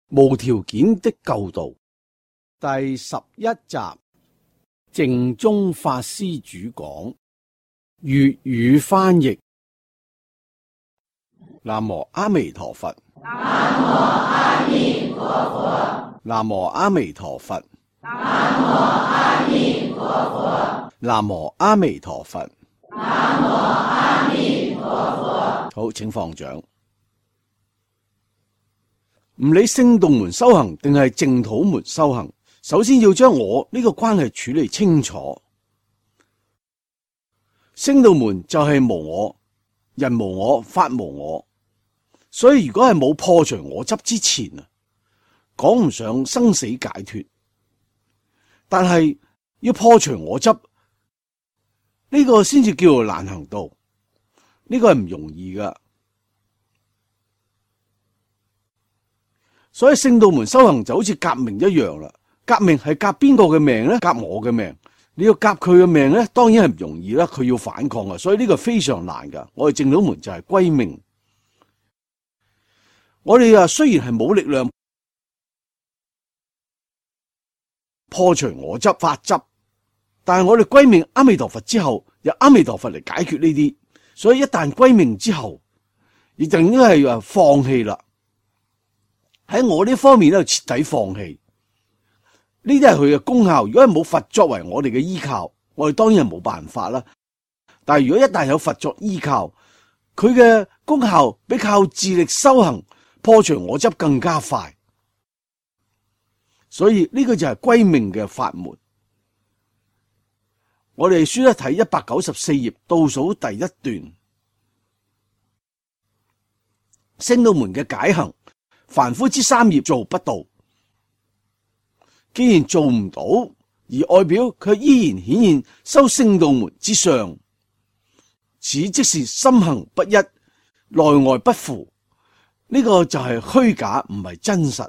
無條件的救度第11集，淨宗法師主講，粵語翻譯。南無阿彌陀佛。南無阿彌陀佛。南無阿彌陀佛。南無阿彌陀佛。南無阿彌陀佛。南無阿彌陀佛。好，請放掌。唔理聖道門修行定係淨土門修行，首先要將我呢個關係處理清楚。聖道門就係無我，人無我，法無我，所以如果係冇破除我執之前啊，講唔上生死解脫。但係要破除我執，呢個先至叫做難行道，呢個係唔容易噶。所以聖道門修行就好似革命一樣啦，革命係革邊個嘅命咧？革我嘅命。你要革佢嘅命咧，當然係唔容易啦，佢要反抗啊，所以呢個非常難噶。我哋淨土門就係歸命。我哋雖然係冇力量破除我執法執，但係我哋歸命阿彌陀佛之後，由阿彌陀佛嚟解決呢啲。所以一旦歸命之後，亦就應該係放棄啦。喺我呢方面咧，徹底放棄。呢啲係佢嘅功效。如果係冇佛作為我哋嘅依靠，我哋當然係冇辦法啦。但係如果一旦有佛作依靠，佢嘅功效比靠自力修行破除我執更加快。所以呢個就係歸命嘅法門。我哋書一睇194頁倒數第一段，聖道門嘅解行。凡夫之三業做不到，既然做唔到，而外表卻依然顯現修聖道門之相，此即是心行不一，內外不符。呢個就係虛假，唔係真實，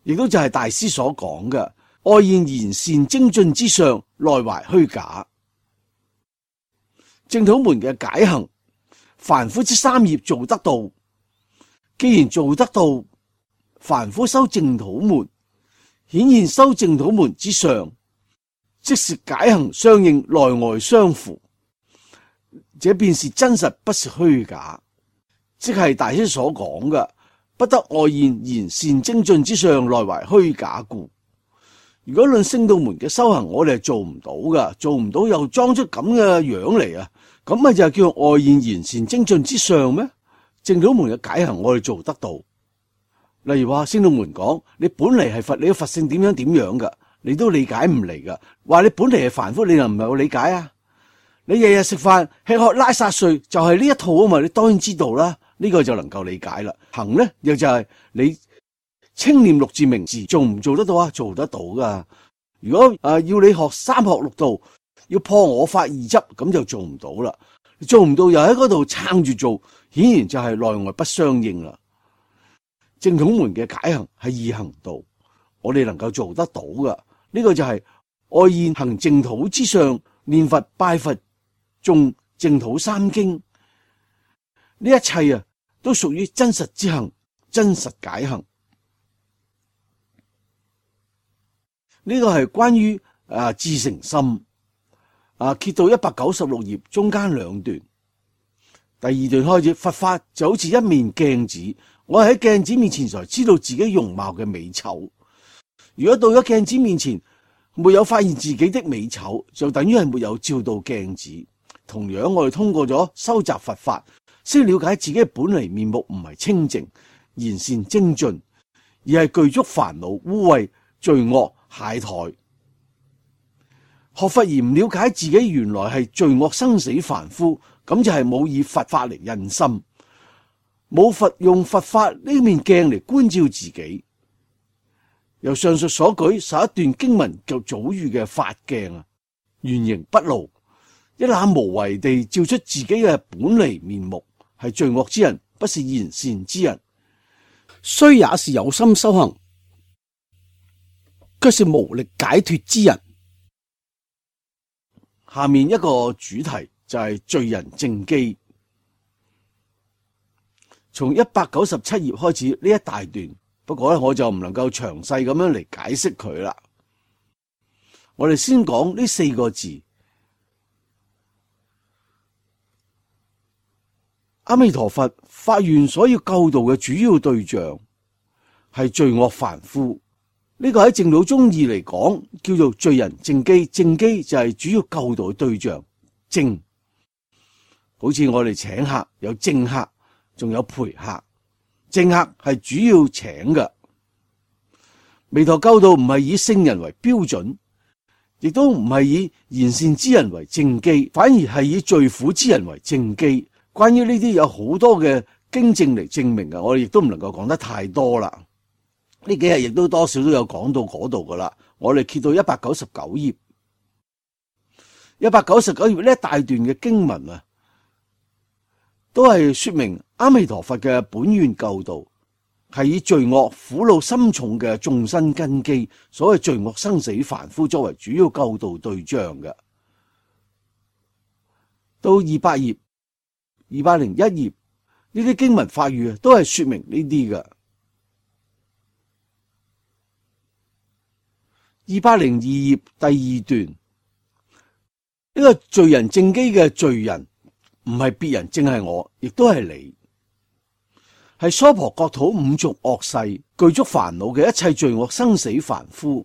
亦都就係大師所講嘅外現賢善精進之相，內懷虛假。淨土門嘅解行，凡夫之三業做得到。既然做得到，凡夫修淨土門，顯現修淨土門之上，即是解行相應，內外相符，這便是真實，不是虛假。即係大師所講嘅，不得外現賢善精進之上，內懷虛假故。如果論聖道門嘅修行，我哋係做唔到噶，做唔到又裝出咁嘅樣嚟啊，咁咪就係叫外現賢善精進之上咩？淨土門嘅解行我哋做得到，例如話聖道門講你本嚟係佛，你嘅佛性點樣點樣噶，你都理解唔嚟噶。話你本嚟係凡夫，你又唔係好理解啊？你日日食飯吃喝拉撒睡就係呢一套啊嘛，你當然知道啦，呢個就能夠理解啦。行咧又就係你清念六字名字，做唔做得到啊？做得到噶。如果要你學三學六道，要破我法二執，咁就做唔到啦。做唔到又喺嗰度撐住做，顯然就係內外不相應啦。淨土門嘅解行係易行道，我哋能夠做得到噶。呢個就係外現行淨土之上，念佛拜佛誦淨土三經，呢一切都屬於真實之行，真實解行。呢個係關於至誠心。揭到196頁中間兩段，第二段開始，佛法就好似一面鏡子，我喺鏡子面前才知道自己容貌嘅美醜。如果到咗鏡子面前沒有發現自己的美醜，就等於係沒有照到鏡子。同樣我哋通過咗修習佛法，先了解自己嘅本嚟面目唔係清淨賢善精進，而係具足煩惱污穢罪惡懈怠。學佛而唔了解自己原來係罪惡生死凡夫，咁就係冇以佛法嚟印心，冇佛用佛法呢面鏡嚟觀照自己。由上述所舉11段經文就早喻嘅法鏡原形不露，一覽無遺地照出自己嘅本嚟面目，係罪惡之人，不是賢善之人。雖也是有心修行，卻是無力解脫之人。下面一個主題就係罪人正機。從197頁開始呢一大段，不過咧我就唔能夠詳細咁樣嚟解釋佢啦。我哋先講呢4個字，阿彌陀佛發願所要救度嘅主要對象係罪惡凡夫。呢個喺淨土宗義嚟講叫做罪人正機，正機就係主要救度嘅對象。正好似我哋請客有正客，仲有陪客。正客係主要請嘅。彌陀救度唔係以聖人為標準，亦都唔係以賢善之人為正機，反而係以罪苦之人為正機。關於呢啲有好多嘅經證嚟證明嘅，我哋亦都唔能夠講得太多啦。呢幾日亦都多少都有講到嗰度噶啦。我哋揭到199頁，199頁呢一大段嘅經文啊，都係說明阿彌陀佛嘅本願救度係以罪惡苦惱深重嘅眾生根基，所謂罪惡生死凡夫作為主要救度對象嘅。到200頁、201頁呢啲經文法語都係說明呢啲嘅。202頁第2段，呢個罪人正機嘅罪人唔係別人，正係我，亦都係你，係娑婆國土五濁惡世具足煩惱嘅一切罪惡生死凡夫。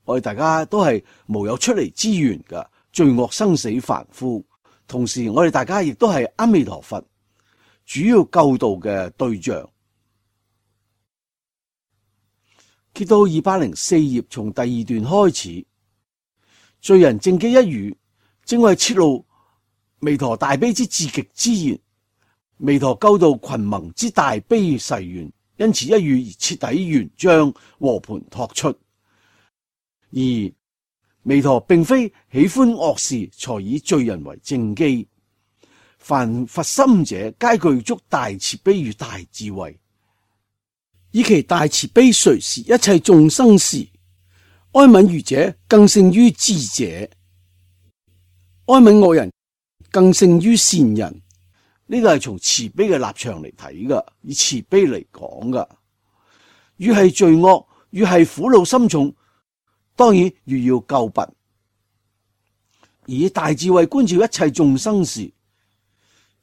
我哋大家都係無有出離之緣嘅罪惡生死凡夫，同時我哋大家亦都係阿彌陀佛主要救度嘅對象。揭到204頁，從第2段開始，罪人正機一語，正為揭露彌陀大悲之至極之言，彌陀救度群萌之大悲誓願，因此一語而徹底圓彰和盤托出。而彌陀並非喜歡惡事才以罪人為正機，凡發心者皆具足大慈悲與大智慧，以其大慈悲垂視一切眾生時，哀憫愚者更勝於智者，哀憫惡人更勝於善人。呢個係從慈悲嘅立場嚟睇噶，以慈悲嚟講噶。越係罪惡，越係苦惱深重，當然越要救拔。而以大智慧觀照一切眾生時，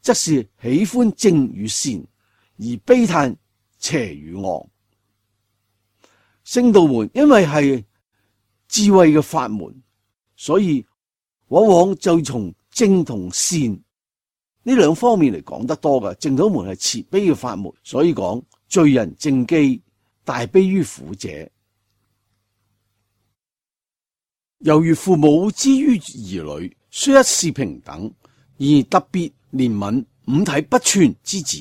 則是喜歡正與善，而悲嘆邪與惡。聖道門因為係智慧嘅法門，所以往往就從正同善呢兩方面嚟講得多噶。淨土門係慈悲嘅法門，所以講罪人正機，大悲於苦者。猶如父母之於兒女，雖一視平等，而特別憐憫五體不全之子。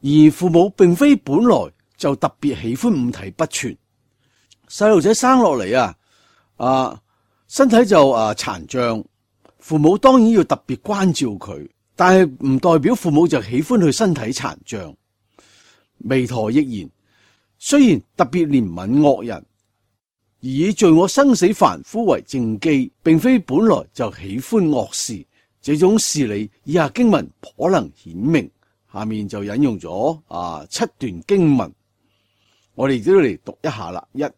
而父母並非本來就特別喜歡五體不全，細路仔生落嚟身體就殘障，父母當然要特別關照佢，但係唔代表父母就喜歡佢身體殘障。彌陀亦然，雖然特別憐憫惡人，而以罪惡生死凡夫為正機，並非本來就喜歡惡事。這種事理以下經文頗能顯明。下面就引用咗7段經文，我哋都嚟讀一下啦。1、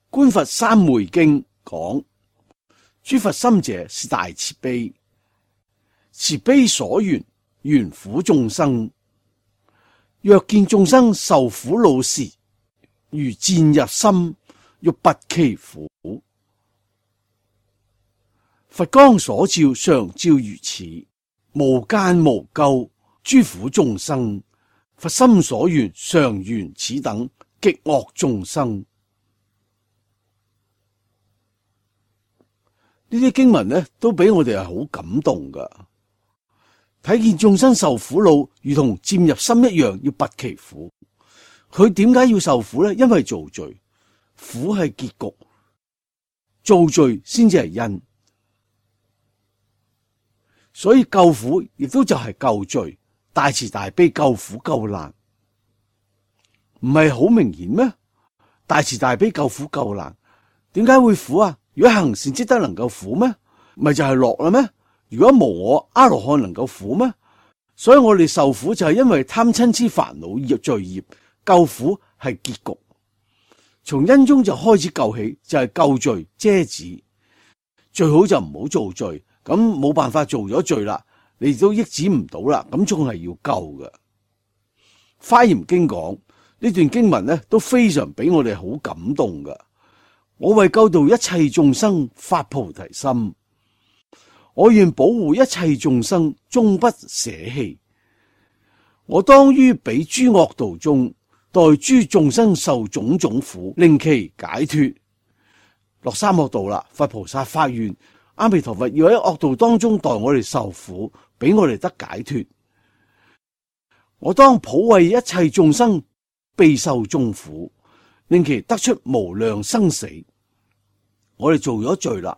觀佛三昧經講，諸佛心者是大慈悲，慈悲所緣，緣苦眾生。若見眾生受苦惱時，如箭入心，欲拔其苦。佛光所照，常照如此，無間無咎。諸苦眾生，佛心所緣，常緣此等極惡眾生。呢啲經文呢，都俾我哋係好感動噶。睇見眾生受苦惱，如同箭入心一樣，要拔其苦。佢點解要受苦呢？因為造罪，苦係結局，造罪先至係因。所以救苦亦都就係救罪。大慈大悲救苦救難，唔係好明顯咩？大慈大悲救苦救難，點解會苦啊？如果行善積德能夠苦咩？咪就係樂啦咩？如果無我阿羅漢能夠苦咩？所以我哋受苦就係因為貪嗔癡煩惱罪孽，救苦係結局。從因中就開始救起，就係救罪遮止。最好就唔好做罪，咁冇辦法做咗罪啦，你都抑止唔到啦，咁仲係要救嘅。華嚴經講呢段經文咧，都非常俾我哋好感動噶。我為救度一切眾生發菩提心，我願保護一切眾生終不捨棄。我當於彼諸惡道中，代諸眾生受種種苦，令其解脫。落三惡道啦，佛菩薩發願，阿彌陀佛要喺惡道當中代我哋受苦，俾我哋得解脫。我當普為一切眾生備受眾苦，令其得出無量生死。我哋做咗罪啦，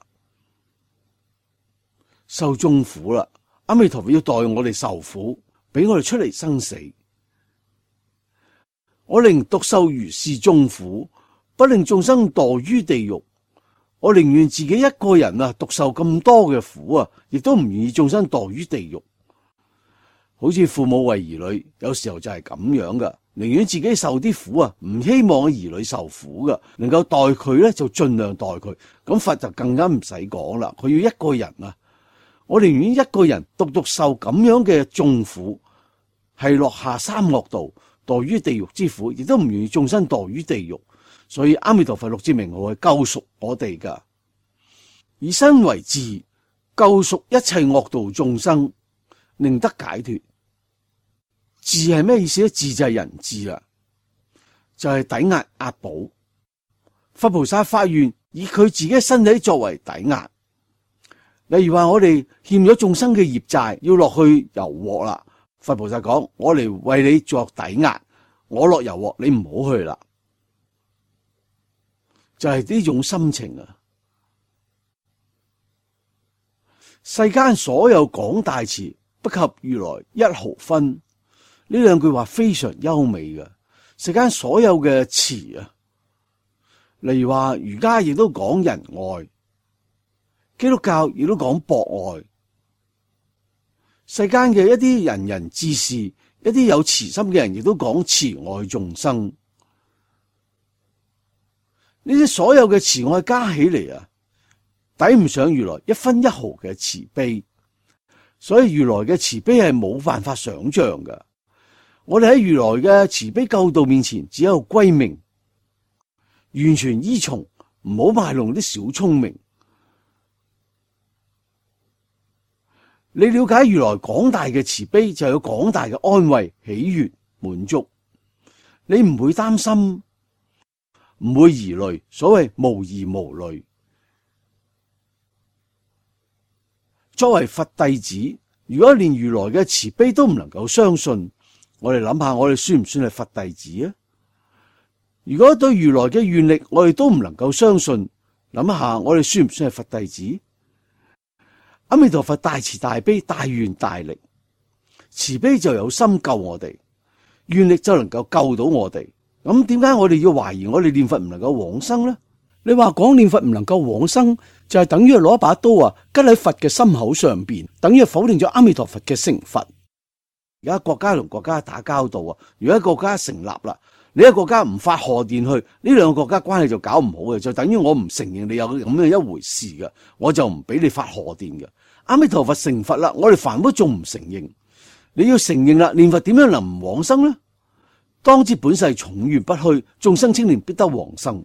受眾苦啦，阿彌陀佛要代我哋受苦，俾我哋出嚟生死。我寧獨受如是眾苦，不令眾生墮於地獄。我寧願自己一個人獨受咁多嘅苦亦都唔願意眾生墮於地獄。好似父母為兒女，有時候就係咁樣噶，寧願自己受啲苦唔希望兒女受苦噶，能夠代佢咧就盡量代佢。咁佛就更加唔使講啦，佢要一個人我寧願一個人獨受咁樣嘅眾苦，係落下三惡道，墮於地獄之苦，亦都唔願意眾生墮於地獄。所以阿彌陀佛六字名號係救贖我哋噶，以身為智，救贖一切惡道眾生，令得解脫。智係咩意思咧？智就係人智啦，就係抵押押寶。佛菩薩發願以佢自己身體作為抵押，例如話我哋欠咗眾生嘅業債，要落去油鑊啦。佛菩薩講：我嚟為你作抵押，我落油鑊，你唔好去啦。就係呢種心情世間所有廣大慈，不及如來一毫分。呢兩句話非常優美嘅。世間所有嘅慈例如話儒家亦都講仁愛，基督教亦都講博愛。世間嘅一啲仁人志士，一啲有慈心嘅人，亦都講慈愛眾生。呢啲所有嘅慈愛加起嚟抵唔上如來一分一毫嘅慈悲，所以如來嘅慈悲係冇辦法想象嘅。我哋喺如來嘅慈悲救度面前，只有歸命，完全依從，唔好賣弄啲小聰明。你了解如來廣大嘅慈悲，就有廣大嘅安慰、喜悅、滿足。你唔會擔心，唔會疑慮，所謂無疑無慮。作為佛弟子，如果連如來嘅慈悲都唔能夠相信，我哋諗下，我哋算唔算係佛弟子啊？如果對如來嘅願力我哋都唔能夠相信，諗下我哋算唔算係佛弟子？阿彌陀佛大慈大悲大願大力，慈悲就有心救我哋，願力就能夠救到我哋。咁點解我哋要懷疑我哋念佛唔能夠往生呢？你話講念佛唔能夠往生，就係等於攞一把刀拮喺佛嘅心口上邊，等於否定咗阿彌陀佛嘅成佛。而家國家同國家打交道如果一個國家成立啦，你一個國家唔發賀電去，呢兩個國家關係就搞唔好嘅，就等於我唔承認你有咁嘅一回事嘅，我就唔俾你發賀電嘅。阿彌陀佛成佛啦，我哋凡夫仲唔承認？你要承認啦，念佛點樣能唔往生呢？當知本世重願不虛，眾生清廉必得往生。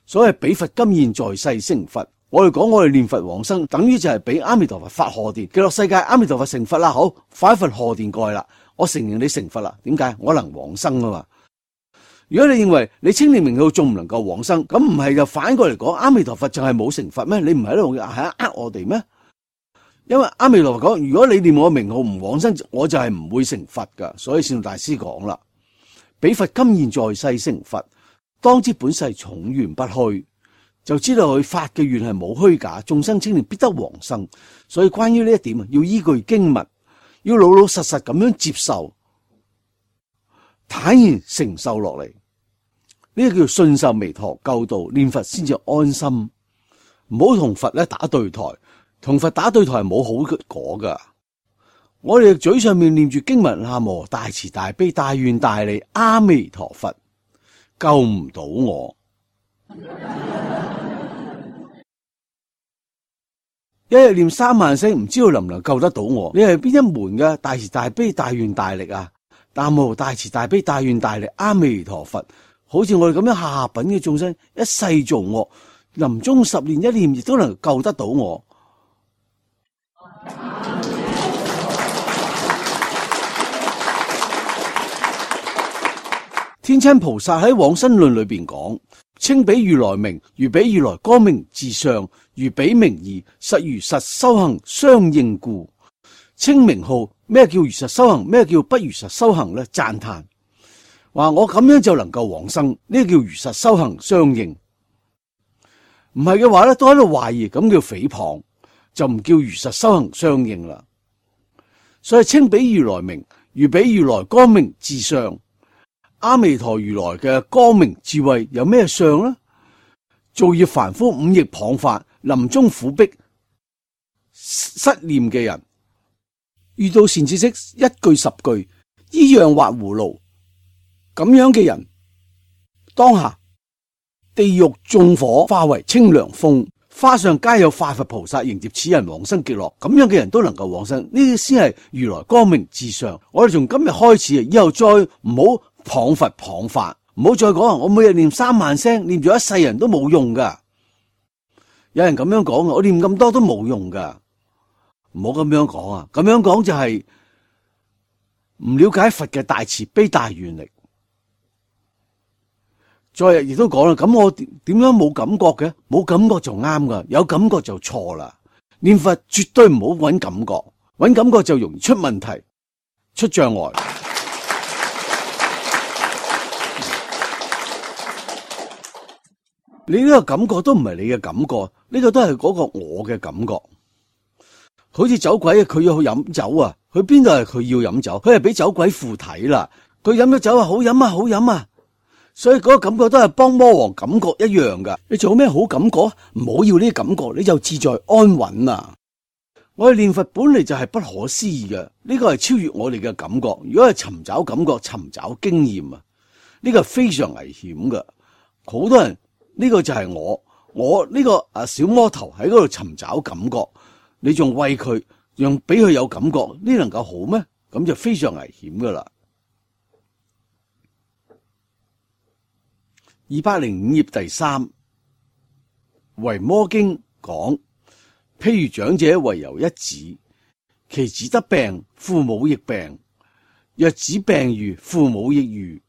所謂彼佛今現在世成佛，我哋講我哋念佛往生，等於就係俾阿彌陀佛發賀電，極樂世界阿彌陀佛成佛啦，好，發一份賀電過去啦，我承認你成佛啦。點解？我能往生啊嘛。如果你認為你清廉名號仲唔能夠往生，咁唔係就反過嚟講，阿彌陀佛就係冇成佛咩？你唔係喺度呃我哋咩？因為阿彌陀佛講，如果你念我名號唔往生，我就係唔會成佛噶。所以善導大師講啦，彼佛今現在世成佛，當知本世重願不虛，就知道佢發嘅願係冇虛假，眾生清廉必得往生。所以關於呢一點要依據經文，要老老實實咁樣接受，坦然承受落嚟。呢個叫信受彌陀救度，念佛先至安心。唔好同佛打對台，同佛打對台係冇好果噶。我哋嘴上面念住經文，南無大慈大悲大願大利阿彌陀佛，救唔到我。一日念3萬聲，唔知道能唔能救得到我？你係邊一門嘅大慈大悲大願大力啊？南無大慈大悲大願大利阿彌陀佛，好似我哋咁樣下品嘅眾生，一世做惡，臨終10年一念，亦都能救得到我。天親菩薩喺往生論裏邊講，稱彼如來名，如彼如來光明自上，如彼名義，實如實修行相應故。稱名號，咩叫如實修行？咩叫不如實修行呢？讚嘆話我咁樣就能夠往生，呢個叫如實修行相應。唔係嘅話咧，都喺度懷疑，咁叫誹謗，就唔叫如實修行相應啦。所以稱彼如來名，如彼如來光明自上。阿彌陀如來嘅光明智慧有咩相呢？造業凡夫五逆謗法，臨終苦逼失念嘅人，遇到善知識一句10句，依樣畫葫蘆，咁樣嘅人，當下地獄縱火化為清涼風，花上皆有化佛菩薩迎接此人往生極樂，咁樣嘅人都能夠往生，呢啲先係如來光明至上。我哋從今日開始，以後再唔好謗佛謗法，唔好再講我每日念3萬聲，念咗一世人都冇用噶。有人咁樣講，我念咁多都冇用噶，唔好咁樣講啊！咁樣講就係唔了解佛嘅大慈悲大願力。再日亦都講啦，咁我點樣冇感覺嘅？冇感覺就啱噶，有感覺就錯啦。念佛絕對唔好揾感覺，揾感覺就容易出問題、出障礙。你呢個感覺都唔係你嘅感覺，呢個都係嗰個我嘅感覺。好似酒鬼，佢要去飲酒啊，佢邊度係佢要飲酒？佢係俾酒鬼附體啦。佢飲咗酒啊，好飲啊，好飲啊。所以嗰個感覺都係幫魔王感覺一樣噶。你做咩好感覺？唔好要呢啲感覺，你就自在安穩啊！我哋念佛本嚟就係不可思議嘅，呢個係超越我哋嘅感覺。如果係尋找感覺、尋找經驗啊，呢個係非常危險噶。好多人。呢個就係我呢個小魔頭喺嗰度尋找感覺，你仲餵佢，讓俾佢有感覺，呢能夠好咩？咁就非常危險噶啦。205頁第3，維摩經講，譬如長者遺有一子，其子得病，父母亦病，若子病愈，父母亦愈。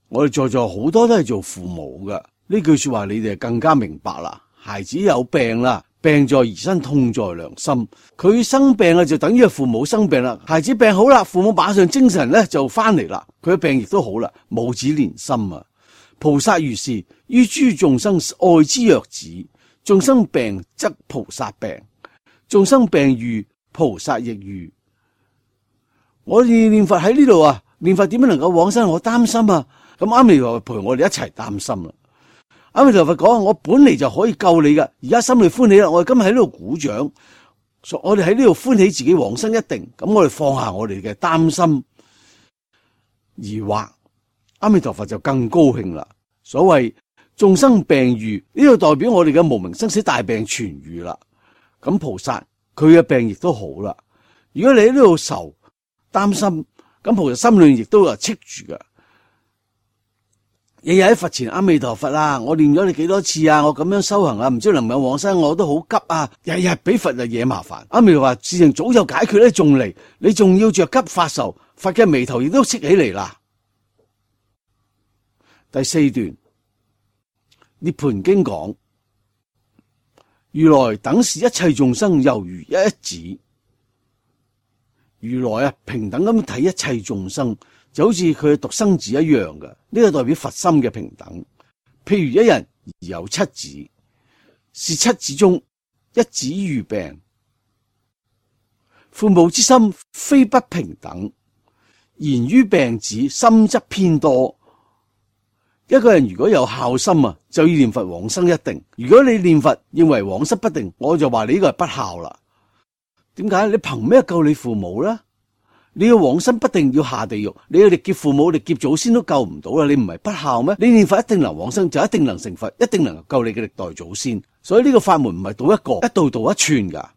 我哋在座好多都係做父母噶，呢句說話你哋更加明白啦。孩子有病啦，病在兒身，痛在良心。佢生病啊，就等於係父母生病啦。孩子病好啦，父母馬上精神咧就翻嚟啦，佢嘅病亦都好啦。母子連心啊！菩薩如是，於諸眾生愛之若子。眾生病則菩薩病，眾生病愈，菩薩亦愈。我哋念佛喺呢度啊，念佛點樣能夠往生？我擔心啊！咁阿彌陀佛陪我哋一齊擔心啦。阿彌陀佛講，我本嚟就可以救你噶，而家心裏歡喜啦，我哋今日喺呢度鼓掌，我哋喺呢度歡喜自己往生一定。咁我哋放下我哋嘅擔心疑惑，阿彌陀佛就更高興啦。所謂眾生病愈，呢度代表我哋嘅無明生死大病痊愈啦。咁菩薩佢嘅病亦都好啦。如果你喺呢度愁擔心，咁菩薩心裏亦都係戚住噶。日日喺佛前，阿彌陀佛啊，我念咗你幾多次啊？我咁樣修行啊，唔知能唔能往生，我都好急啊！日日俾佛惹麻煩。阿彌陀佛事情早就解決咧，仲嚟，你仲要着急發愁，佛嘅眉頭亦都戚起嚟啦。第4段涅槃經講，如來等視一切眾生猶如一子。如來啊，平等咁睇一切眾生。就好似佢嘅獨生子一樣嘅，呢個代表佛心嘅平等。譬如一人有7子，是7子中一子遇病，父母之心非不平等，然於病子心則偏多。一個人如果有孝心啊，就要念佛往生一定。如果你念佛認為往生不定，我就話你呢個係不孝啦。點解？你憑咩救你父母呢？你要往生不定要下地獄，你要力劫父母、力劫祖先都救唔到啦！你唔係不孝咩？你念佛一定能往生，就一定能成佛，一定能救你嘅歷代祖先。所以呢個法門唔係道一個，一道道一串噶。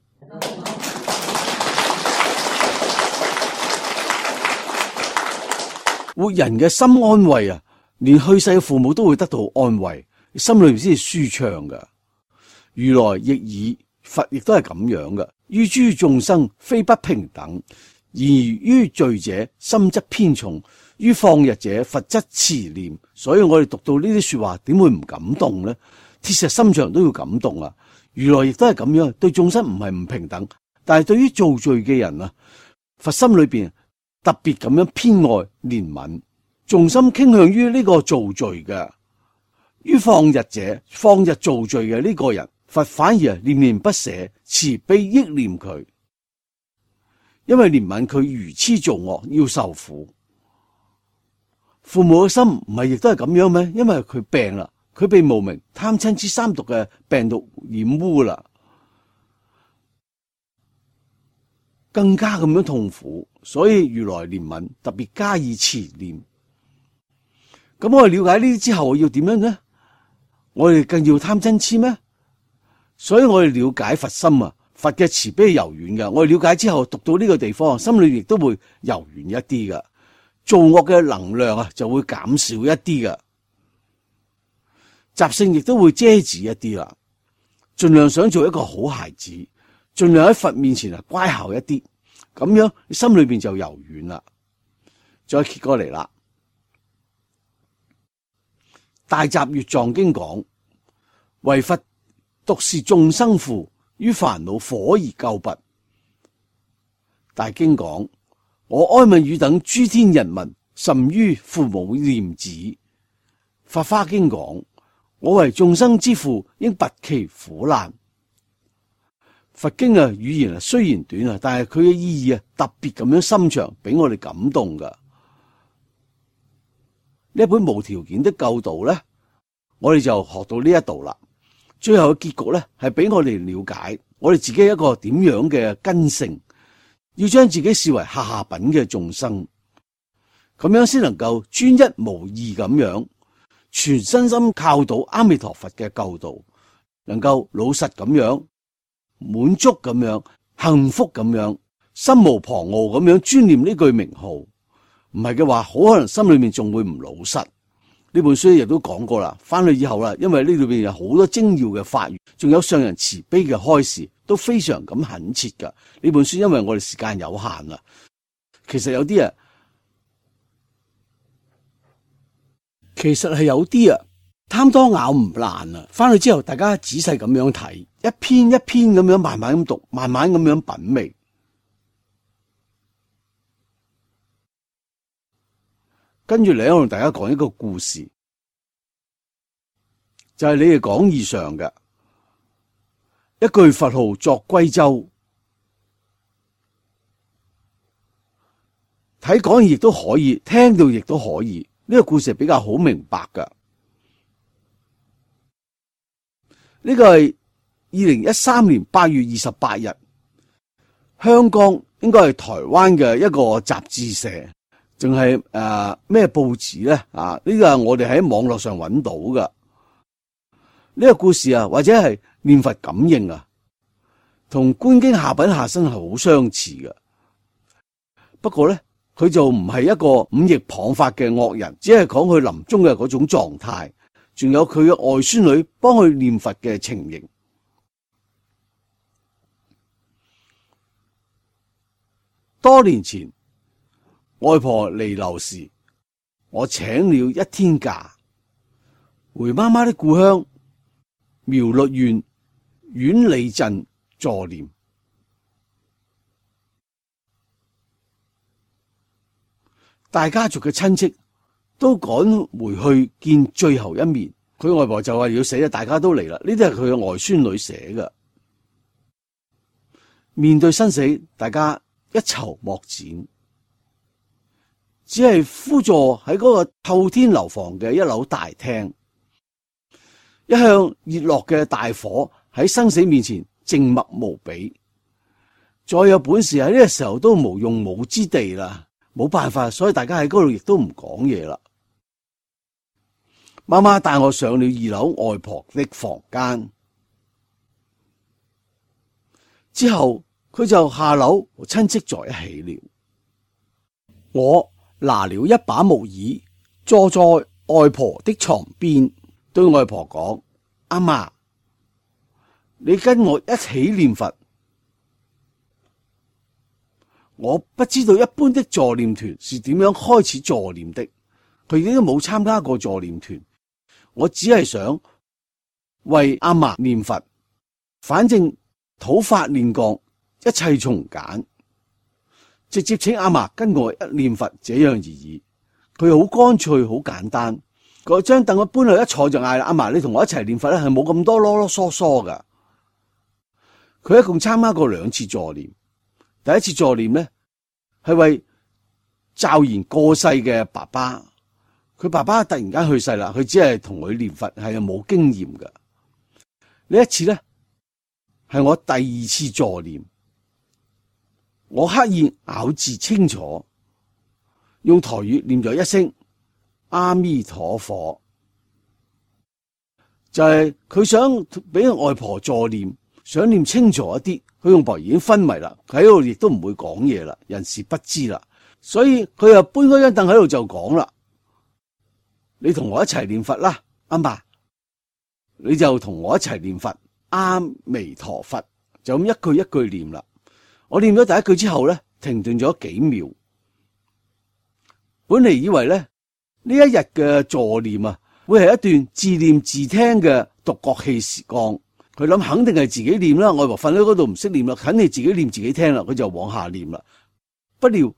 活人嘅心安慰啊，連去世嘅父母都會得到安慰，心裏面先係舒暢噶。如來亦爾，佛亦都係咁樣噶。於諸眾生非不平等。而於罪者心則偏重，於放逸者佛則慈念。所以我哋讀到呢啲說話，點會唔感動呢？鐵石心腸都要感動啊！如來亦都係咁樣，對眾生唔係唔平等，但係對於造罪嘅人啊，佛心裏邊特別咁樣偏愛憐憫，重心傾向於呢個造罪嘅。於放逸者，放逸造罪嘅呢個人，佛反而念念不捨，慈悲憶念佢。因為憐憫佢愚痴造惡要受苦，父母嘅心唔係亦都係咁樣咩？因為佢病啦，佢被無明貪嗔癡三毒嘅病毒染污啦，更加咁樣痛苦，所以如來憐憫特別加以慈念。咁我哋了解呢啲之後，要點樣呢？我哋更要貪嗔癡咩？所以我哋了解佛心啊。佛嘅慈悲柔軟嘅，我哋了解之後讀到呢個地方，心裏亦都會柔軟一啲嘅，造惡嘅能量啊就會減少一啲嘅，習性亦都會遮止一啲啦。盡量想做一個好孩子，盡量喺佛面前啊乖巧一啲，咁樣你心裏邊就柔軟啦。再揭過嚟啦，大集月藏經講，唯佛獨是眾生父。於煩惱火而救拔。大經講，我哀憫汝等諸天人民，甚於父母念子。法華經講，我為眾生之父，應拔其苦難。佛經語言雖然短啊，但係佢嘅意義特別咁樣深長，俾我哋感動噶。呢一本無條件的救度咧，我哋就學到呢一度啦。最後嘅結局咧，係俾我哋了解我哋自己一個點樣嘅根性，要將自己視為下品嘅眾生，咁樣先能夠專一無二咁樣，全身心靠到阿彌陀佛嘅救度，能夠老實咁樣，滿足咁樣，幸福咁樣，心無旁騖咁樣專念呢句名號。唔係嘅話，好可能心裏面仲會唔老實。呢本書亦都講過啦，翻去以後啦，因為呢裏邊有好多精要嘅法語，仲有上人慈悲嘅開示，都非常咁懇切噶。呢本書因為我哋時間有限啦，其實有啲啊，貪多咬唔爛啊。翻去之後，大家仔細咁樣睇，一篇一篇咁樣慢慢咁讀，慢慢咁樣品味。跟住嚟，我同大家講一個故事，就係你哋講義上嘅一句佛號作歸舟，睇講義亦都可以，聽到亦都可以。呢個故事係比較好明白噶。呢個係2013年8月28日，香港應該係台灣嘅一個雜誌社。仲係咩報紙咧？呢個係我哋喺網絡上揾到噶。呢個故事啊，或者係念佛感應啊，同觀經下品下生係好相似嘅。不過咧，佢就唔係一個五逆謗法嘅惡人，只係講佢臨終嘅嗰種狀態，仲有佢嘅外孫女幫佢念佛嘅情形。多年前，外婆彌留時，我請了一天假，回媽媽的故鄉苗栗縣苑里鎮助念。大家族嘅親戚都趕回去見最後一面。佢外婆就話要死啦，大家都嚟啦。呢啲係佢嘅外孫女寫嘅。面對生死，大家一籌莫展。只係趺坐喺嗰個透天樓房嘅一樓大廳，一向熱絡嘅大火喺生死面前靜默無比。再有本事喺呢個時候都無用武之地啦，冇辦法，所以大家喺嗰度亦都唔講嘢啦。媽媽帶我上了2樓外婆的房間，之後佢就下樓和親戚在一起了。我拿了一把木椅，坐在外婆的床邊，對外婆講：阿嫲，你跟我一起念佛。我不知道一般的助念團是點樣開始助念的，佢已經冇參加過助念團。我只係想為阿嫲念佛，反正土法煉鋼，一切從簡，直接請阿嫲跟我一念佛，這樣而已。佢好乾脆，好簡單。嗰張凳我搬去一坐就嗌啦：阿嫲，你同我一齊念佛咧，係冇咁多囉囉嗦嗦噶。佢一共參加過2次助念。第一次助念呢，係為驟然過世嘅爸爸，佢爸爸突然間去世啦，佢只係同佢念佛，係冇經驗嘅。呢一次呢，係我第2次助念，我刻意咬字清楚，用台語念咗一聲阿彌陀佛，就係佢想俾外婆助念，想念清楚一啲。佢外婆已經昏迷啦，佢喺度亦都唔會講嘢啦，人事不知啦，所以佢又搬嗰張凳喺度就講啦：你同我一齊念佛啦，阿嫲，你就同我一齊念佛，阿彌陀佛，就咁一句一句念啦。我念咗第一句之後咧，停頓咗幾秒。本嚟以為咧呢一日嘅助念啊，會係一段自念自聽嘅獨角戲時光。佢諗肯定係自己念啦，外婆瞓喺嗰度唔識念啦，肯定自己念自己聽啦，佢就往下念啦。不料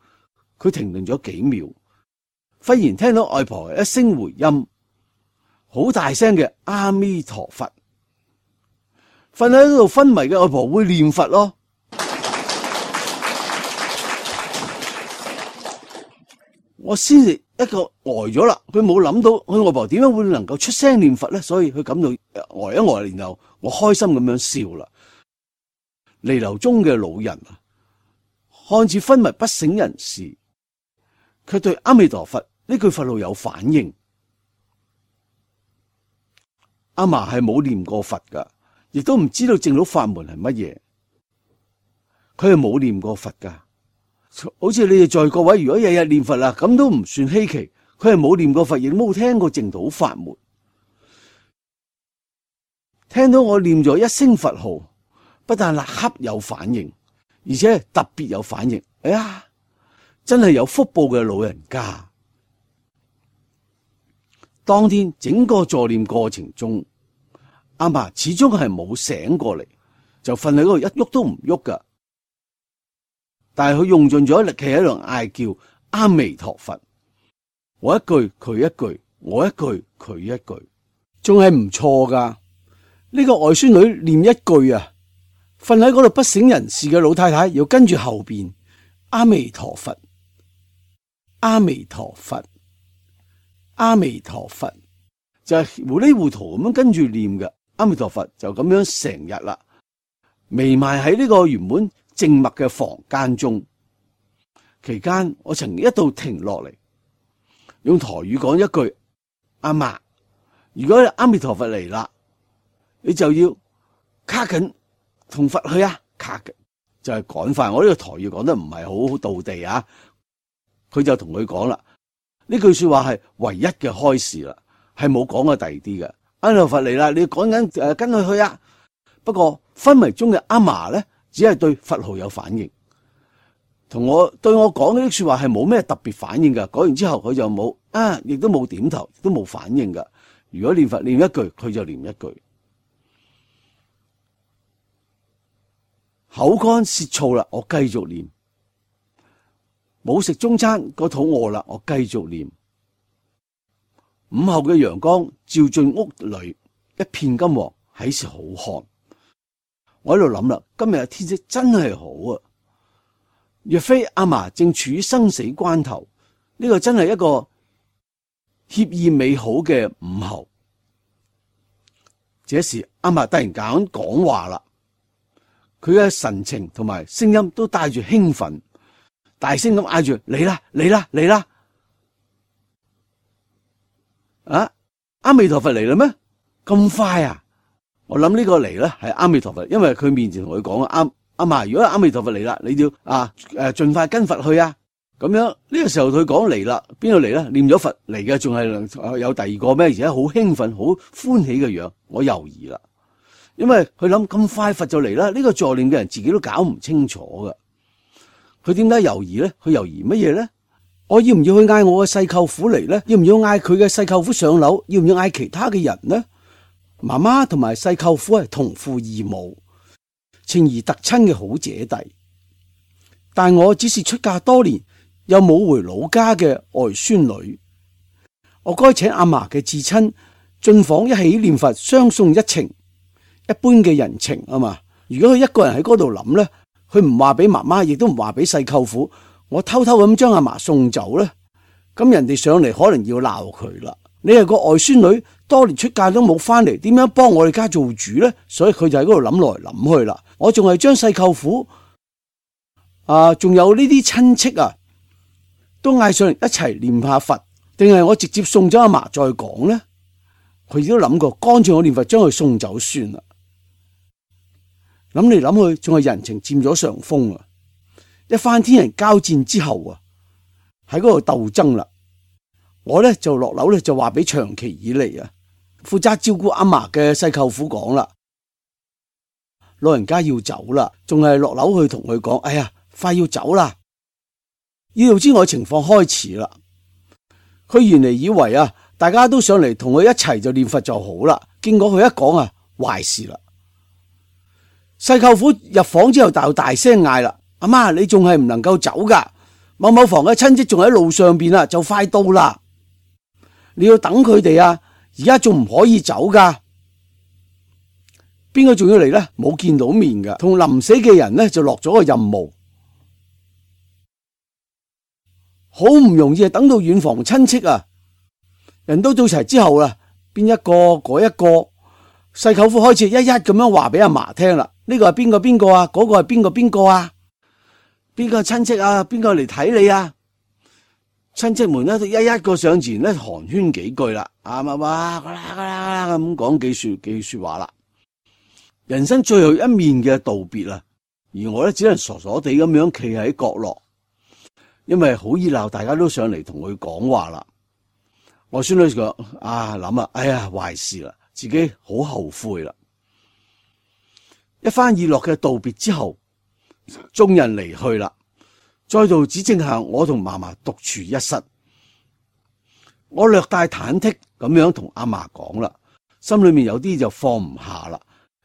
佢停頓咗幾秒，忽然聽到外婆一聲回音，好大聲嘅阿彌陀佛。瞓喺嗰度昏迷嘅外婆會念佛咯。我先至一個呆咗啦，佢冇諗到佢外婆點樣會能夠出聲念佛咧，所以佢感到呆一呆，然後我開心咁樣笑啦。彌留中嘅老人啊，看似昏迷不省人事，卻對阿彌陀佛呢句佛號有反應。阿嫲係冇念過佛噶，亦都唔知道正道法門係乜嘢，佢係冇念過佛噶。好似你哋在各位如果日日念佛啦，咁都唔算稀奇。佢係冇念過佛，亦都冇聽過正道法門。聽到我念咗一聲佛號，不但立刻有反應，而且特別有反應。哎呀，真係有福報嘅老人家。當天整個助念過程中，阿嫲始終係冇醒過嚟，就瞓喺嗰度一喐都唔喐噶。但係佢用盡咗力氣喺度嗌叫阿彌陀佛，我一句佢一句，我一句佢一句，仲係唔錯噶。呢個外孫女念一句啊，瞓喺嗰度不省人事嘅老太太又跟住後邊阿彌陀佛，阿彌陀佛，阿彌陀佛，就係糊裡糊塗咁樣跟住念嘅阿彌陀佛，就咁樣成日啦，彌漫喺呢個原本靜默嘅房間中。期間我曾一度停落嚟，用台語講一句：阿嫲，如果阿彌陀佛嚟啦，你就要卡緊同佛去啊！卡緊就係趕快。我呢個台語講得唔係好道地啊，佢就同佢講啦，呢句說話係唯一嘅開示啦，係冇講過第二啲嘅。阿彌陀佛嚟啦，你要趕緊跟佢去啊！不過昏迷中嘅阿嫲咧，只係對佛號有反應，對我講呢啲說話係冇咩特別反應噶。講完之後佢就冇亦都冇點頭，亦都冇反應噶。如果念佛念一句，佢就念一句。口乾舌燥啦，我繼續念。冇食中餐，個肚餓啦，我繼續念。午後嘅陽光照進屋裏，一片金黃，喺時好看。我喺度諗啦，今日嘅天色真係好啊！若非阿嫲正處於生死關頭，呢個真係一個愜意美好嘅午後。這時阿嫲突然間講話啦，佢嘅神情同埋聲音都帶住興奮，大聲咁嗌住嚟啦嚟啦嚟啦！啊，阿彌陀佛嚟啦咩？咁快啊！我諗呢個嚟咧係阿彌陀佛，因為佢面前同佢講啊，阿嫲，如果阿彌陀佛嚟啦，你要盡快跟佛去啊！咁樣呢個時候佢講嚟啦，邊度嚟咧？念咗佛嚟嘅，仲係有第二個咩？而且好興奮、好歡喜嘅樣，我猶豫啦，因為佢諗咁快佛就嚟啦，呢個助念嘅人自己都搞唔清楚㗎。佢點解猶豫咧？佢猶豫乜嘢咧？我要唔要去嗌我嘅細舅父嚟咧？要唔要嗌佢嘅細舅父上樓？要唔要嗌其他嘅人呢？媽媽同埋細舅父係同父異母、情誼特親嘅好姐弟，但我只是出嫁多年又冇回老家嘅外孫女，我該請阿嫲嘅至親進房一起念佛，相送一程，一般嘅人情啊嘛。如果佢一個人喺嗰度諗咧，佢唔話俾媽媽，亦都唔話俾細舅父，我偷偷咁將阿嫲送走咧，咁人哋上嚟可能要鬧佢啦。你係個外孫女，多年出嫁都冇翻嚟，點樣幫我哋家做主咧？所以佢就喺嗰度諗來諗去啦。我仲係將細舅父仲有呢啲親戚啊，都嗌上嚟一齊念下佛，定係我直接送咗阿嫲再講咧？佢亦都諗過，乾脆我念佛將佢送走算啦。諗嚟諗去，仲係人情佔咗上風啊！一番天人交戰之後啊，喺嗰度鬥爭啦。我咧就落樓咧就話俾長期以嚟負責照顧阿嫲嘅細舅父講啦，老人家要走啦，仲係落樓去同佢講，哎呀，快要走啦！意料之外情況開始啦。佢原嚟以為大家都上嚟同佢一齊就念佛就好啦，結果佢一講壞事啦。細舅父入房之後就大聲嗌啦，阿媽，你仲係唔能夠走噶？某某房嘅親戚仲喺路上邊啦，就快到啦。你要等佢哋而家仲唔可以走噶？邊個仲要嚟咧？冇見到面噶，同臨死嘅人咧就落咗個任務，好唔容易等到遠房親戚人都到齊之後啦，邊一個嗰一個，細舅父開始一一咁樣話俾阿嫲聽啦。呢個係邊個邊個啊？嗰個係邊個邊個啊？邊個親戚啊？邊個嚟睇你啊？親戚們咧一一個上前咧寒暄幾句啦，哇咁講幾說話啦。人生最後一面嘅道別啦，而我咧只能傻傻地咁樣企喺角落，因為好熱鬧，大家都上嚟同佢講話啦。我孫女講諗哎呀壞事啦，自己好後悔啦。一番熱絡嘅道別之後，眾人離去啦。再度只剩下我同嫲嫲獨處一室，我略帶忐忑咁樣同阿嫲講啦，心裏面有啲就放唔下啦，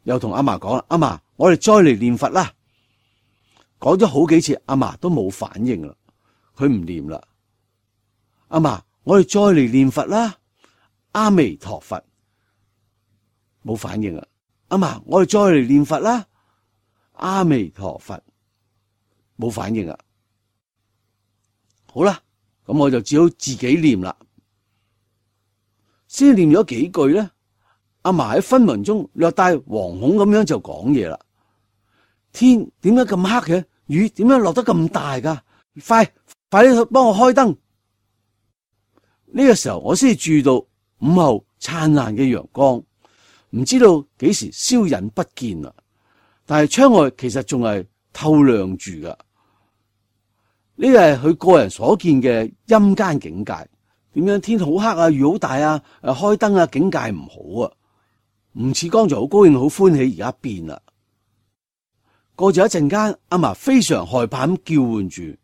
又同阿嫲講啦，阿嫲，我哋再嚟念佛啦。講咗好幾次，阿嫲都冇反應啦，佢唔念啦。阿嫲，我哋再嚟念佛啦，阿彌陀佛，冇反應啦。阿嫲，我哋再嚟念佛啦，阿彌陀佛，冇反應啦。好啦，咁我就只好自己念啦。先念咗幾句咧，阿嫲喺昏迷中略帶惶恐咁樣就講嘢啦。天點解咁黑嘅？雨點解落得咁大噶？快啲幫我開燈。呢個時候我先至注意到午後燦爛嘅陽光，唔知道幾時消隱不見啦。但係窗外其實仲係透亮住噶。呢個係佢個人所見嘅陰間境界。點樣天好黑雨好大開燈境界唔好唔似剛才好高興好歡喜，而家變啦。過咗一陣間，阿嫲非常害怕咁叫喚住，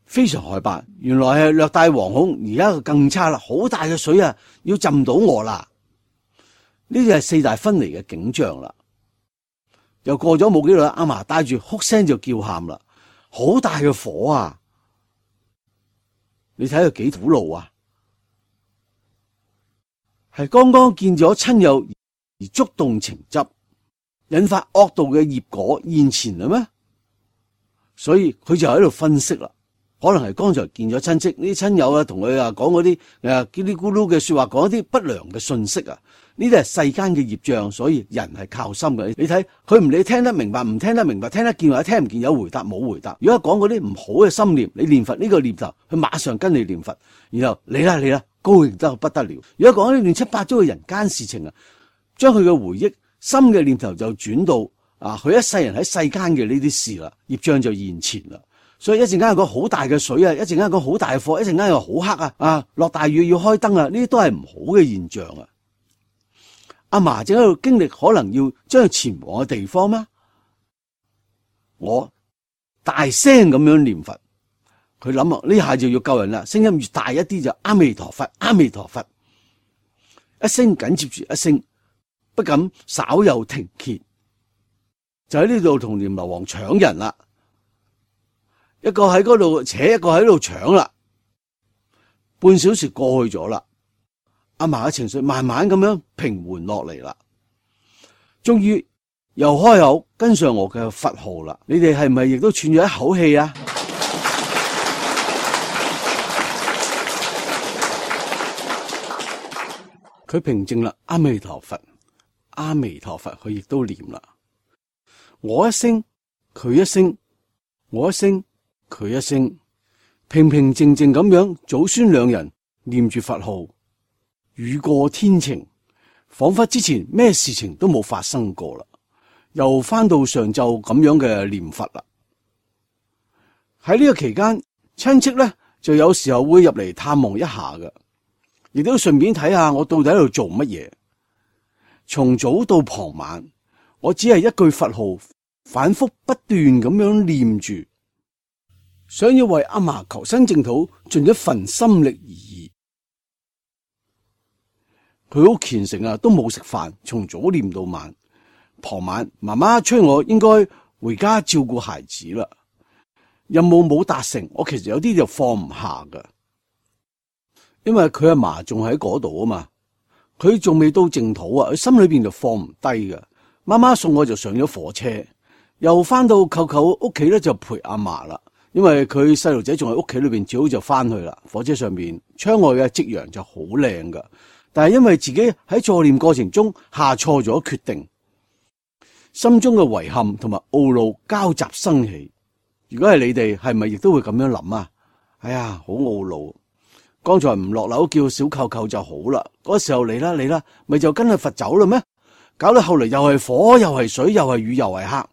非常害怕。原來係略帶惶恐，而家更差啦，好大嘅水要浸到我啦。呢啲係四大分離嘅景象啦。又過咗冇幾耐，阿嫲帶住哭聲就叫喊啦。好大嘅火你睇佢幾苦惱係剛剛見咗親友而觸動情執，引發惡道嘅業果現前啦咩？所以佢就喺度分析啦，可能係剛才見咗親戚，呢啲親友啊，同佢啊講嗰啲嘰哩咕嚕嘅說話，講一啲不良嘅信息啊，呢啲係世間嘅業障，所以人係靠心嘅。你睇佢唔理聽得明白，唔聽得明白，聽得見或者聽唔見，有回答冇回答。如果講嗰啲唔好嘅心念，你念佛呢個念頭，佢馬上跟你念佛，然後嚟啦，高興得不得了。如果講啲亂七八糟嘅人間事情啊，將佢嘅回憶心嘅念頭就轉到佢一世人喺世間嘅呢啲事啦，業障就現前啦。所以一陣間有個好大嘅水啊，一陣間有個好大嘅火，一陣間又好黑啊，落大雨要開燈啊，呢啲都係唔好嘅現象啊。阿嫲正喺度經歷可能要將佢前往嘅地方咩？我大聲咁樣念佛，佢諗啊，呢下就要救人啦，聲音越大一啲就阿彌陀佛，阿彌陀佛，一聲緊接住一聲，不敢稍有停歇，就喺呢度同閻羅王搶人啦。一個喺嗰度扯，一個喺度搶啦。半小時過去咗啦，阿嫲嘅情緒慢慢咁樣平緩落嚟啦。終於又開口跟上我嘅佛號啦。你哋係咪亦都喘咗一口氣啊？佢平靜啦，阿彌陀佛，阿彌陀佛，佢亦都念啦。我一聲，佢一聲，我一聲，佢一聲，平平靜靜咁樣，祖孫兩人念住佛號，雨過天晴，仿佛之前咩事情都冇發生過啦，又翻到上晝咁樣嘅念佛啦。喺呢個期間，親戚咧就有時候會入嚟探望一下嘅，亦都順便睇下我到底喺度做乜嘢。從早到傍晚，我只係一句佛號反覆不斷咁樣念住，想要為阿嫲求生淨土盡一份心力而已。佢好虔誠啊，都冇食飯，從早念到晚。傍晚媽媽催我應該回家照顧孩子啦，任務冇達成，我其實有啲就放唔下噶，因為佢阿嫲仲喺嗰度啊嘛，佢仲未到淨土啊，佢心裏邊就放唔低噶。媽媽送我就上咗火車，又翻到舅舅屋企咧就陪阿嫲啦。因為佢細路仔仲喺屋企裏邊，最好就翻去啦。火車上面窗外嘅夕陽就好靚噶，但係因為自己喺助念過程中下錯咗決定，心中嘅遺憾同埋懊惱交集生起。如果係你哋，係咪亦都會咁樣諗啊？哎呀，好懊惱！剛才唔落樓叫小舅舅就好啦，嗰時候嚟啦，咪就跟佢佛走啦咩？搞到後嚟又係火又係水又係雨又係黑，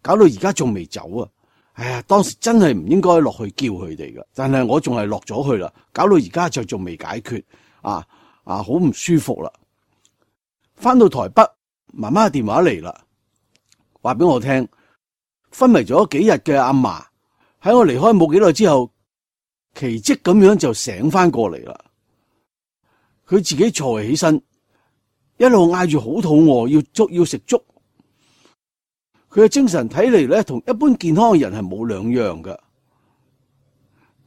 搞到而家仲未走啊！哎呀，當時真係唔應該落去叫佢哋㗎，但係我仲係落咗去啦，搞到而家就仲未解決，好唔舒服啦。翻到台北，媽媽嘅電話嚟啦，話俾我聽，昏迷咗幾日嘅阿嫲喺我離開冇幾耐之後，奇蹟咁樣就醒翻過嚟啦。佢自己坐起身，一路嗌住好肚餓，要食粥。佢嘅精神睇嚟咧，同一般健康嘅人係冇兩樣㗎。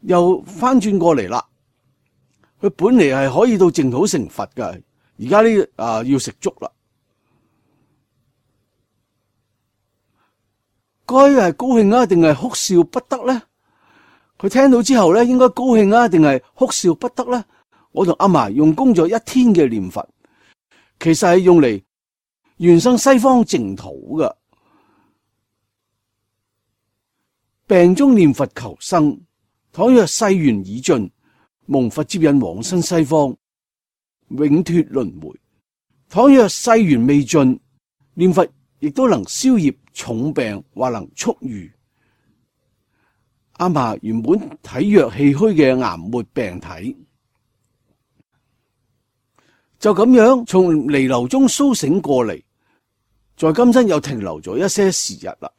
又翻轉過嚟啦，佢本嚟係可以到淨土成佛㗎，而家呢要食粥啦。該係高興啊，定係哭笑不得咧？佢聽到之後咧，應該高興啊，定係哭笑不得咧？我同阿嫲用功咗一天嘅念佛，其實係用嚟原生西方淨土㗎。病中念佛求生，倘若世緣已盡，蒙佛接引往生西方，永脫輪迴；倘若世緣未盡，念佛亦都能消業重病，或能速愈。阿嫲原本體弱氣虛嘅癌末病體，就咁樣從彌留中蘇醒過嚟，在今生又停留咗一些時日啦。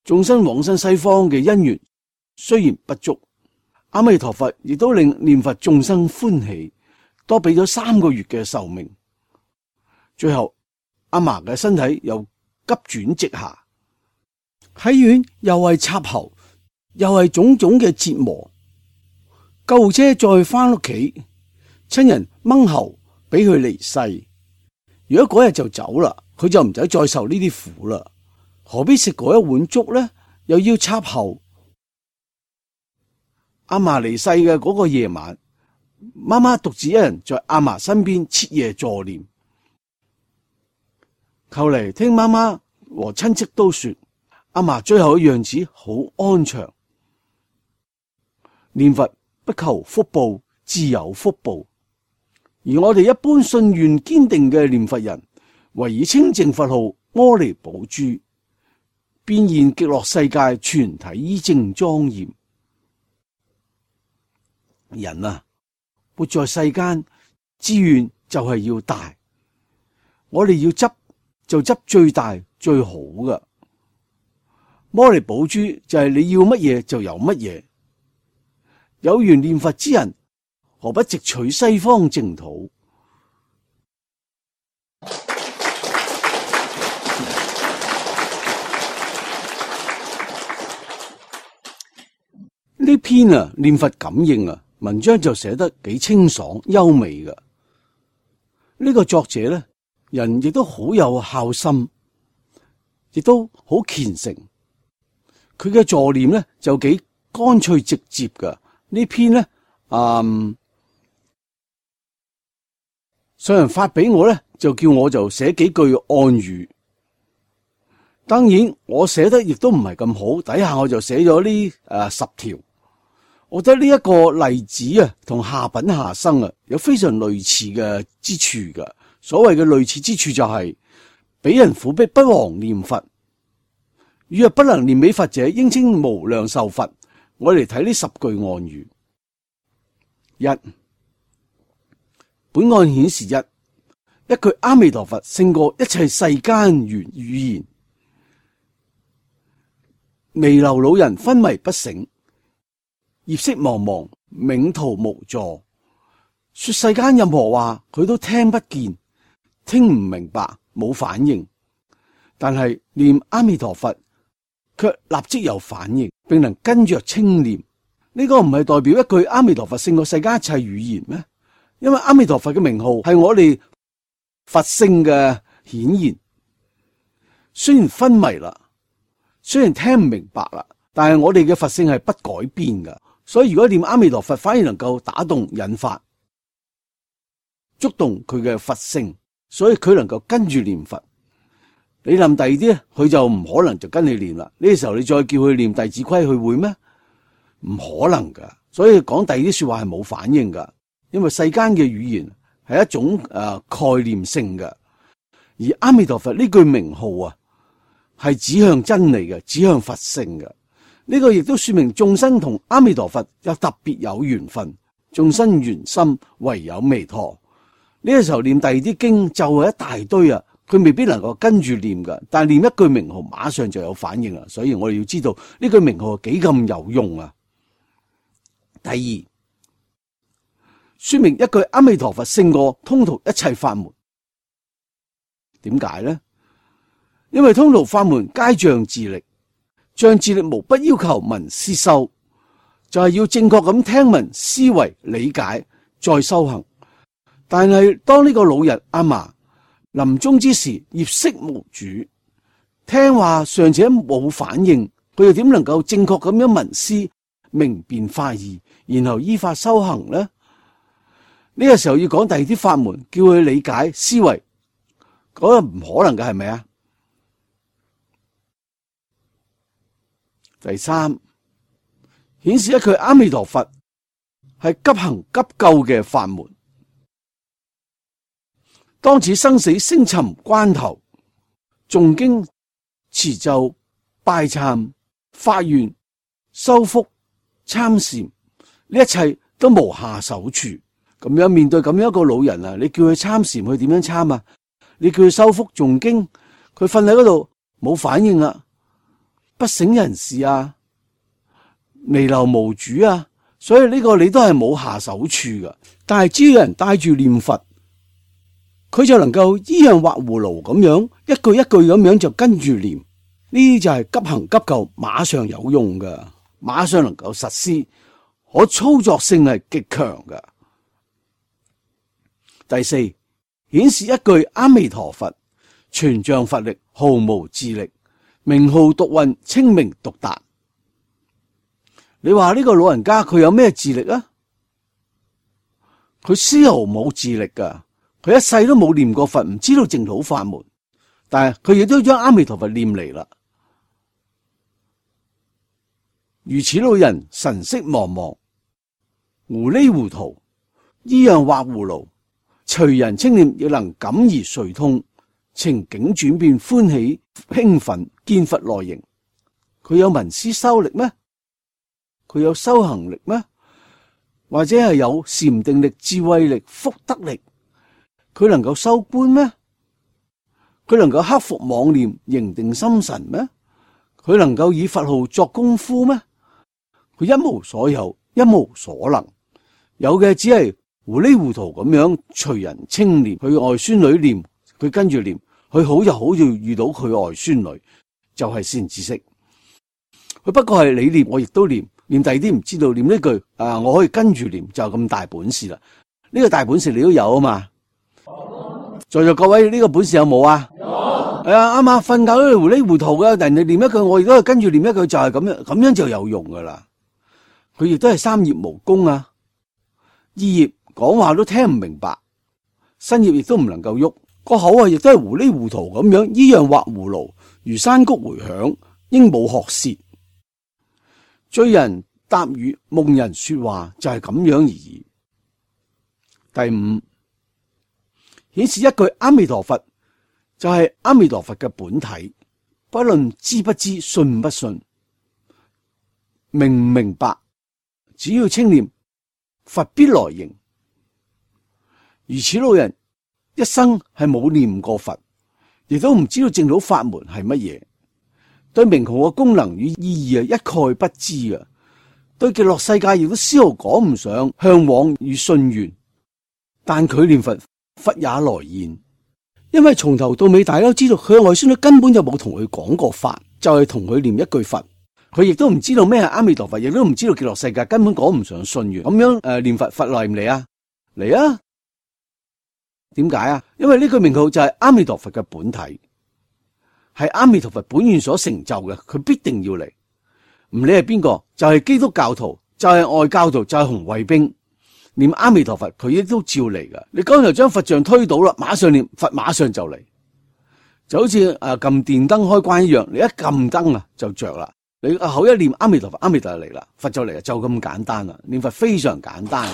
眾生往生西方嘅因緣雖然不足，阿彌陀佛亦都令念佛眾生歡喜，多俾咗3個月嘅壽命。最後阿嫲嘅身體又急轉直下，喺院又係插喉，又係種種嘅折磨。救護車再翻屋企，親人掹喉俾佢離世。如果嗰日就走啦，佢就唔使再受呢啲苦啦。何必食嗰一碗粥呢？又要插喉，阿嫲離世嘅嗰個夜晚，媽媽獨自一人在阿嫲身邊徹夜助念。後嚟聽媽媽和親戚都說，阿嫲最後嘅樣子好安詳。念佛不求福報，自有福報。而我哋一般信願堅定嘅念佛人，唯以清淨佛號阿彌寶珠，變現極樂世界全體依正莊嚴。人啊，活在世間，志願就係要大，我哋要執就執最大最好嘅。阿彌寶珠就係你要乜嘢就有乜嘢。有緣念佛之人，何不直取西方淨土？呢篇念佛感應文章就寫得幾清爽優美嘅。呢個作者呢，人亦都好有孝心，亦都好虔誠。佢嘅助念呢，就幾乾脆直接嘅。呢篇呢，上人發俾我呢，就叫我就寫幾句暗語。當然我寫得亦都唔係咁好，底下我就寫咗呢10條。我覺得呢一個例子同下品下生有非常類似嘅之處嘅。所謂嘅類似之處就係、是，俾人苦逼不忘念佛，如若不能念美佛者，應稱無量壽佛。我哋嚟睇呢10句暗語。一，本案顯示一句阿彌陀佛勝過一切世間語言。彌留老人昏迷不醒，業色茫茫，冥途無助。說世間任何話，佢都聽不見，聽唔明白，冇反應。但係念阿彌陀佛，卻立即有反應，並能跟着清念。呢個唔係代表一句阿彌陀佛勝過世間一切語言咩？因為阿彌陀佛嘅名號係我哋佛性嘅顯現。雖然昏迷啦，雖然聽唔明白啦，但係我哋嘅佛性係不改變噶。所以如果念阿彌陀佛，反而能夠打動引發，觸動佢嘅佛性，所以佢能夠跟住念佛。你念第二啲咧，佢就唔可能就跟你念啦。呢個時候你再叫佢念弟子規，佢會咩？唔可能噶。所以講第二啲說話係冇反應噶，因為世間嘅語言係一種概念性嘅，而阿彌陀佛呢句名號係指向真理嘅，指向佛性嘅。呢個亦都說明眾生同阿彌陀佛有特別有緣分，眾生緣心唯有彌陀。呢個時候念第二啲經就係一大堆佢未必能夠跟住念噶，但係念一句名號馬上就有反應啦。所以我哋要知道呢句名號幾咁有用啊。第二，說明一句阿彌陀佛勝過通途一切法門。點解呢？因為通途法門皆仗自力，仗自力無不要求聞思修，就係要正確咁聽聞思維理解再修行。但係當呢個老人阿嫲臨終之時，業色無主，聽話尚且冇反應，佢又點能夠正確咁樣聞思明辨法義，然後依法修行呢？呢個時候要講第二啲法門，叫佢理解思維，嗰個唔可能嘅，係咪啊？第三，顯示一句阿彌陀佛係急行急救嘅法門。當此生死星沉關頭，誦經持咒拜懺發願修福參禪，呢一切都無下手處。咁樣面對咁樣一個老人你叫佢參禪，佢點樣參啊？你叫佢修福誦經，佢瞓喺嗰度冇反應啊，不省人事啊，彌留無主啊，所以呢個你都係冇下手處噶。但係只要有人帶住念佛，佢就能夠依樣畫葫蘆咁樣，一句一句咁樣就跟住念。呢啲就係急行急救，馬上有用噶，馬上能夠實施，可操作性係極強噶。第四，顯示一句阿彌陀佛全仗佛力，毫無自力，名號獨運，清明獨達。你話呢個老人家佢有咩智力啊？佢絲毫冇智力噶，佢一世都冇念過佛，唔知道淨土法門，但係佢亦都將阿彌陀佛念嚟啦。如此老人神色茫茫，糊裏糊塗，依樣畫葫蘆，隨人稱念亦能感而遂通，情景轉變歡喜興奮，見佛來迎。佢有聞思修力咩？佢有修行力咩？或者係有禪定力、智慧力、福德力？佢能夠修觀咩？佢能夠克服妄念、凝定心神咩？佢能夠以佛號作功夫咩？佢一無所有，一無所能，有嘅只係糊裏糊塗咁樣隨人稱念，佢外孫女念，佢跟住念，佢好就好，就遇到佢外孫女，就係善知識。佢不過係你念，我亦都念，念第二啲唔知道，念呢句我可以跟住念，就咁大本事啦。呢個大本事你都有啊嘛。在座各位呢個本事有冇啊？有。係啊，啱啊，瞓覺都糊裏糊塗嘅，人哋念一句，我亦都係跟住念一句，就係咁樣，咁樣就有用噶啦。佢亦都係三業無功啊，二業講話都聽唔明白，身業亦都唔能夠喐，個口啊亦都係糊裏糊塗咁樣，依樣畫葫蘆，如山谷回響，鸚鵡學舌，醉人答語，夢人說話，就係咁樣而已。第五，顯示一句阿彌陀佛，就係阿彌陀佛嘅本體，不論知不知，信不信，明唔明白，只要稱念，佛必來迎。如此老人一生係冇念過佛，亦都唔知道淨土法門係乜嘢，對名號嘅功能與意義一概不知嘅，對極樂世界亦都絲毫講唔上向往與信願。但佢念佛，佛也來現，因為從頭到尾大家都知道佢嘅外孫女根本就冇同佢講過法，就係同佢念一句佛。佢亦都唔知道咩係阿彌陀佛，亦都唔知道極樂世界，根本講唔上信願。咁樣念佛，佛嚟唔嚟啊？嚟啊！點解啊？因為呢句名號就係阿彌陀佛嘅本體，係阿彌陀佛本願所成就嘅，佢必定要嚟。唔理係邊個，就係基督教徒，就係外教徒，就係紅衛兵，念阿彌陀佛，佢亦都照嚟噶。你剛才將佛像推倒啦，馬上念佛，馬上就嚟，就好似撳電燈開關一樣，你一撳燈啊就着啦。你口一念阿彌陀佛，阿彌陀佛嚟啦，佛就嚟啦，就咁簡單啦。念佛非常簡單。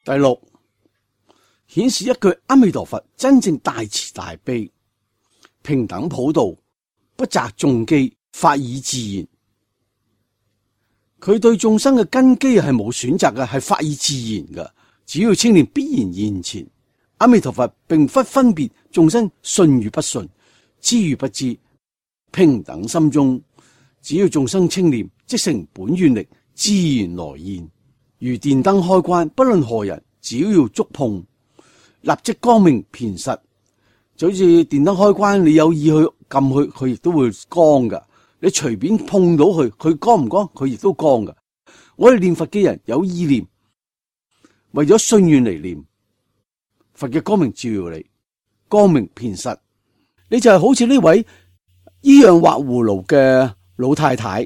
第六，顯示一句阿彌陀佛真正大慈大悲，平等普度，不擇眾機，法以自然。佢對眾生嘅根基係冇選擇嘅，係法以自然嘅，只要稱念必然現前。阿彌陀佛並不分別眾生信與不信，知與不知，平等心中，只要眾生稱念，即成本願力，自然來現。如電燈開關，不論何人，只要觸碰，立即光明偏實。就好似電燈開關，你有意去撳佢，佢亦都會光噶。你隨便碰到佢，佢光唔光？佢亦都光噶。我哋念佛嘅人有意念，為咗信願嚟念。佛嘅光明照耀你，光明偏實，你就係好似呢位依樣畫葫蘆嘅老太太，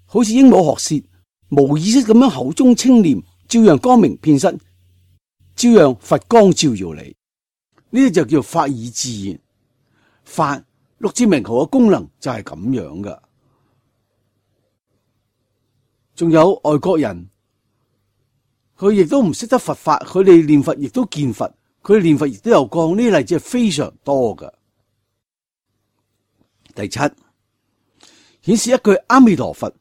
好似鸚鵡學舌，無意識咁樣口中稱念，照樣光明偏實，照樣佛光照耀你。呢啲就叫法以自然。法六字名號嘅功能就係咁樣噶。仲有外國人。佢亦都唔識得佛法，佢哋念佛亦都見佛，佢哋念佛亦都有光，呢啲例子係非常多噶。第七，顯示一句阿彌陀佛，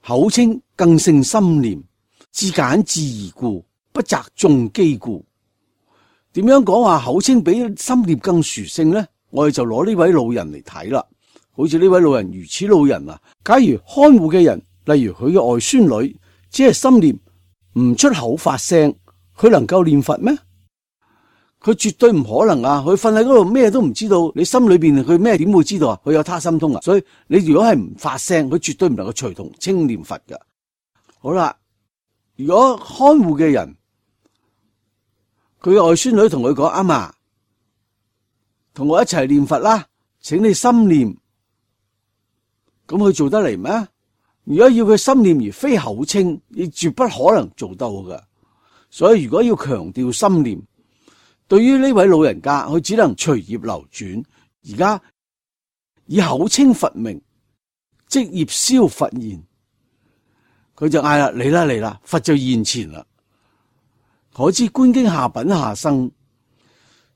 口稱更勝心念，至簡至易故，不擇眾機故。點樣講話口稱比心念更殊勝呢？我哋就攞呢位老人嚟睇啦。好似呢位老人如此老人啊，假如看護嘅人，例如佢嘅外孫女，只係心念，唔出口發聲，佢能夠念佛咩？佢絕對唔可能啊！佢瞓喺嗰度咩都唔知道，你心裏邊佢咩點會知道啊？佢有他心通啊！所以你如果係唔發聲，佢絕對唔能夠隨同稱念佛噶。好啦，如果看護嘅人，佢嘅外孫女同佢講：阿嫲，同我一齊念佛啦，請你心念，咁佢做得嚟咩？如果要佢心念而非口稱，亦絕不可能做到㗎。所以如果要強調心念，對於呢位老人家，佢只能隨業流轉。而家以口稱佛名，即業消佛現，佢就嗌啦，嚟啦嚟啦，佛就現前啦。可知觀經下品下生，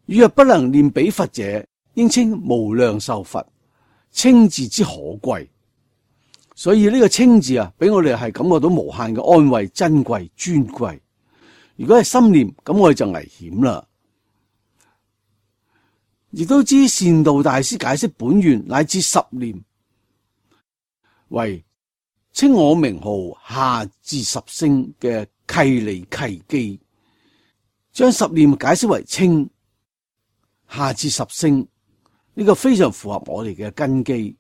如若不能念彼佛者，應稱無量壽佛。稱字之可貴，所以呢個稱字啊，俾我哋係感覺到無限嘅安慰、珍貴、尊貴。如果係心念，咁我哋就危險啦。亦都知善導大師解釋本願乃至十念，為稱我名號下至十聲嘅契理契機，將十念解釋為稱下至十聲，呢個非常符合我哋嘅根基，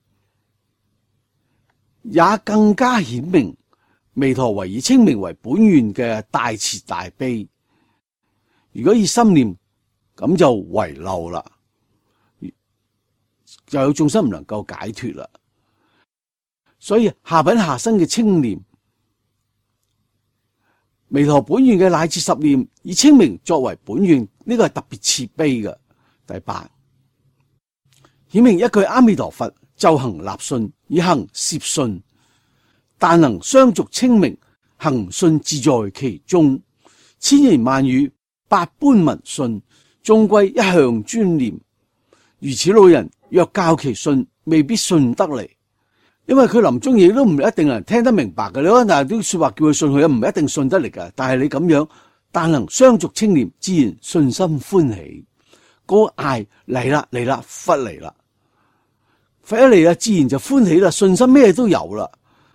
也更加顯明彌陀為以稱名為本願嘅大慈大悲。如果以心念，咁就遺漏啦，就有眾生唔能夠解脫啦。所以下品下生嘅稱念，彌陀本願嘅乃至十念，以稱名作為本願，呢個係特別慈悲嘅。第八，顯明一句阿彌陀佛，就行立信，以行攝信，但能相續稱名，行信自在其中，千言萬語，百般聞信，終歸一向專念。如此老人，若教其信，未必信得嚟，因為佢臨終亦都唔一定能聽得明白嘅。你可能啲說話叫佢信佢，唔一定信得嚟嘅。但係你咁樣，但能相續稱念，自然信心歡喜。嗰個嗌嚟啦嚟啦，佛嚟啦，佛一嚟啦，自然就歡喜啦，信心咩都有啦。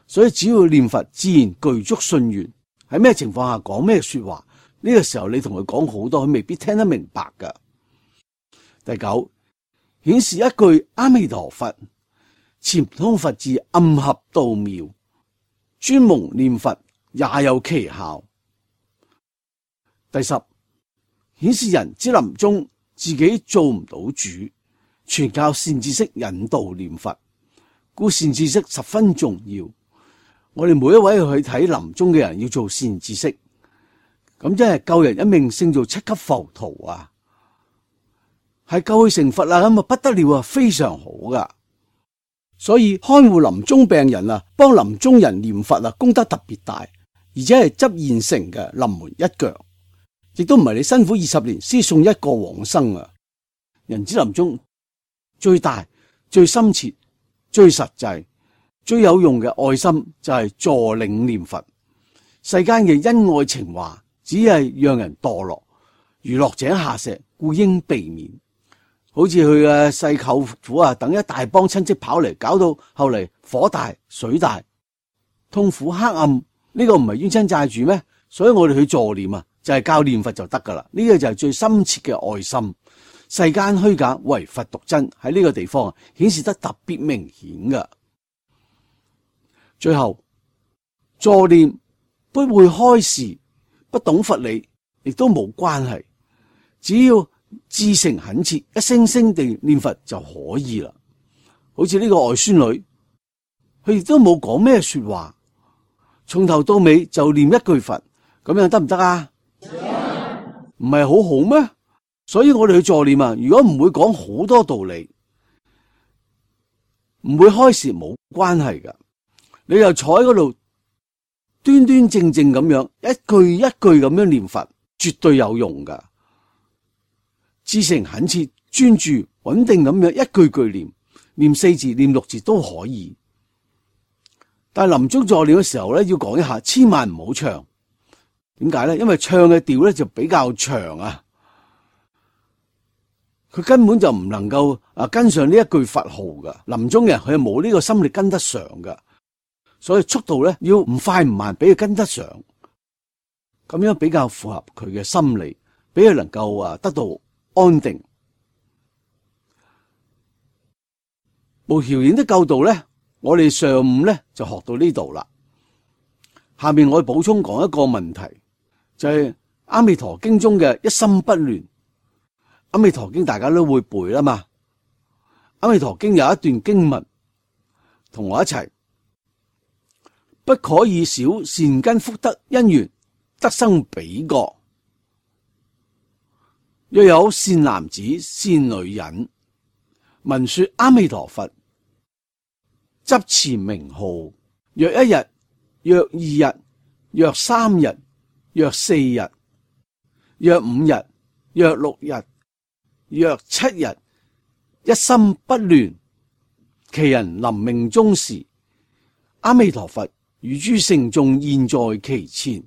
所以只要念佛，自然具足信願。喺咩情況下講咩說話，呢個時候你同佢講好多，佢未必聽得明白噶。第九，顯示一句阿彌陀佛，潛通佛智，暗合道妙，專蒙念佛也有奇效。第十，顯示人之臨終自己做唔到主，全靠善知識引導念佛，故善知識十分重要。我哋每一位去睇臨終嘅人要做善知識，咁真係救人一命勝造七級浮屠啊！係救佢成佛啦，咁啊不得了啊，非常好噶。所以看護臨終病人啊，幫臨終人念佛啊，功德特別大，而且係執現成嘅臨門一腳，亦都唔係你辛苦20年先送一個往生啊！人之臨終最大、最深切、最實際、最有用嘅愛心就係助領念佛。世間嘅恩愛情話只係讓人墮落，如落井下石，故應避免。好似佢嘅細舅父啊，等一大幫親戚跑嚟，搞到後嚟火大、水大、痛苦、黑暗，呢個唔係冤親債主咩？所以我哋去助念啊，就係教念佛就得噶啦。呢個就係最深切嘅愛心。世間虛假，唯佛獨真，喺呢個地方顯示得特別明顯噶。最後，助念不會開示，不懂佛理，亦都冇關係，只要至誠懇切，一聲聲地念佛就可以啦。好似呢個外孫女，佢亦都冇講咩說話，從頭到尾就念一句佛，咁樣得唔得啊？唔係好好咩？所以我哋去助念啊，如果唔會講好多道理，唔會開示，冇關係噶。你又坐喺嗰度端端正正咁樣一句一句咁樣念佛，絕對有用噶。至誠懇切、專注、穩定咁樣一句句念，念4字、念6字都可以。但係臨終助念嘅時候咧，要講一下，千萬唔好唱。點解咧？因為唱嘅調咧就比較長啊，佢根本就唔能夠跟上呢一句佛號噶。臨終嘅人佢係冇呢個心力跟得上噶，所以速度咧要唔快唔慢，俾佢跟得上，咁樣比較符合佢嘅心理，俾佢能夠得到安定。無條件的救度咧，我哋上午咧就學到呢度啦。下面我補充講一個問題，就係阿彌陀經中嘅一心不亂。阿彌陀經大家都會背啦嘛，阿彌陀經有一段經文，同我一齊，不可以少善根福德因緣得生彼國。若有善男子善女人聞說阿彌陀佛，執持名號，若一日，若二日，若三日，若四日，若五日，若六日，若七日，一心不亂，其人臨命終時，阿彌陀佛與諸聖眾現在其前，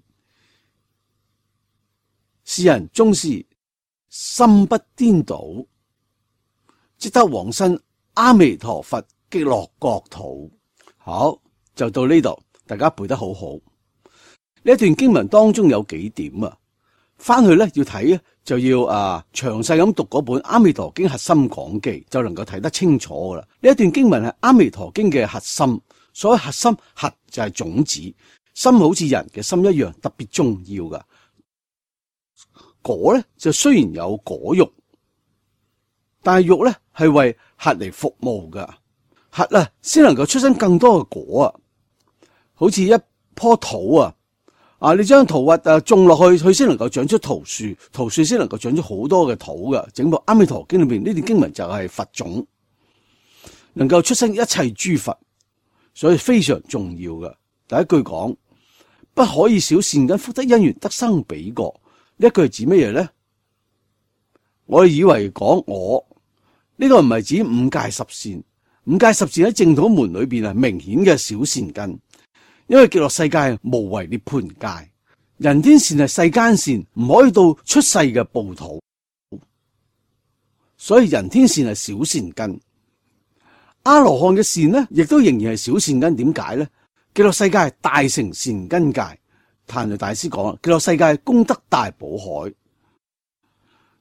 是人終時心不顛倒，即得往生阿彌陀佛極樂國土。好，就到呢度，大家背得好好。呢一段經文當中有幾點啊，翻去咧要睇咧，就要詳細咁讀嗰本《阿彌陀經核心講記》，就能夠睇得清楚噶啦。呢一段經文係《阿彌陀經》嘅核心，所謂核心，核就係種子，心好似人嘅心一樣特別重要噶。果咧就雖然有果肉，但係肉咧係為核嚟服務噶，核啊先能夠出生更多嘅果啊，好似一棵土啊。你將桃核種落去，佢先能夠長出桃樹，桃樹先能夠長出好多嘅土噶。整部《阿彌陀經》裏邊呢段經文就係佛種，能夠出生一切諸佛，所以非常重要噶。第一句講，不可以少善根福德因緣得生彼國，呢一句係指乜嘢咧？我哋以為講呢個唔係指五戒十善，五戒十善喺淨土門裏邊係明顯嘅小善根。因為極樂世界係無為涅槃界，人天善係世間善，唔可以到出世嘅報土，所以人天善係小善根。阿羅漢嘅善呢，亦都仍然係小善根。點解呢？極樂世界係大乘善根界，壇雷大師講啦，極樂世界功德大寶海，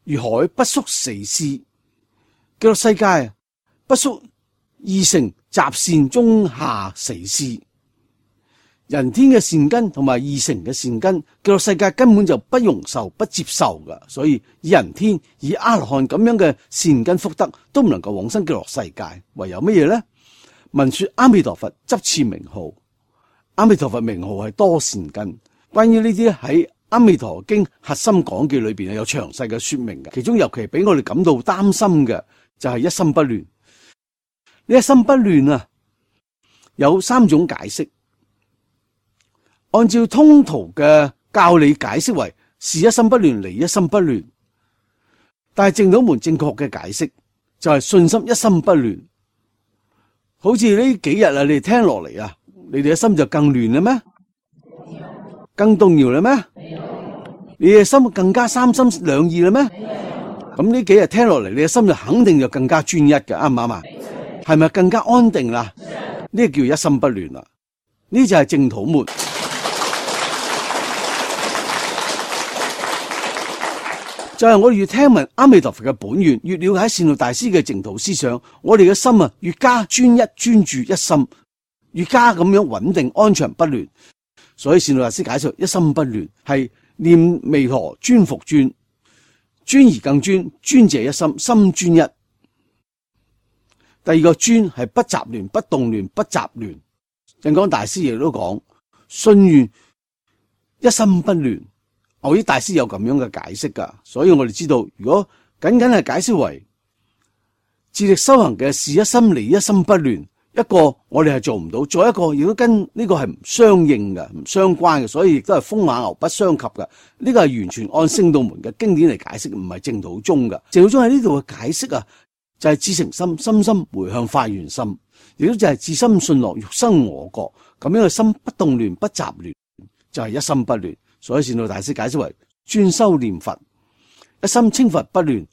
如海不宿死屍。極樂世界不宿二乘雜善中下死屍。人天嘅善根同埋二乘嘅善根，極樂世界根本就不容受、不接受噶。所以以人天、以阿羅漢咁樣嘅善根福德都唔能夠往生極樂世界，唯有乜嘢咧？聞說阿彌陀佛，執持名號。阿彌陀佛名號係多善根。關於呢啲喺阿彌陀經核心講記裏邊有詳細嘅說明嘅。其中尤其俾我哋感到擔心嘅就係一心不亂。呢一心不亂啊，有三種解釋。按照通途嘅教理解釋為事一心不亂，離一心不亂，但係淨土門正確嘅解釋就係信心一心不亂。好似呢幾日你哋聽落嚟你哋嘅心就更亂啦咩？更動搖啦咩？你嘅心更加三心兩意啦咩？咁呢幾日聽落嚟，你嘅心就肯定就更加專一嘅，啱唔啱啊？係咪更加安定啦？呢個叫一心不亂啦。呢就係淨土門。就係我哋越聽聞阿彌陀佛嘅本願，越了解善導大師嘅淨土思想，我哋嘅心越加專一專注一心，越加咁樣穩定安詳不亂。所以善導大師解釋一心不亂係念彌陀專復專，專而更專，專者一心，心專一。第二個專係不雜亂、不動亂、不雜亂。印光大師亦都講信願一心不亂。我啲大師有咁樣嘅解釋噶，所以我哋知道，如果僅僅係解釋為自力修行嘅事一心離一心不亂，一個我哋係做唔到，再一個亦都跟呢個係唔相應嘅、唔相關嘅，所以亦都係風馬牛不相及嘅。呢個係完全按聖道門嘅經典嚟解釋，唔係淨土宗嘅。淨土宗喺呢度嘅解釋就係至誠心，深深回向發願心，亦都就係至心信樂，欲生我國咁樣嘅心不動亂、不雜亂，就係一心不亂。所以善導大師解釋為專修念佛，一心稱佛不亂，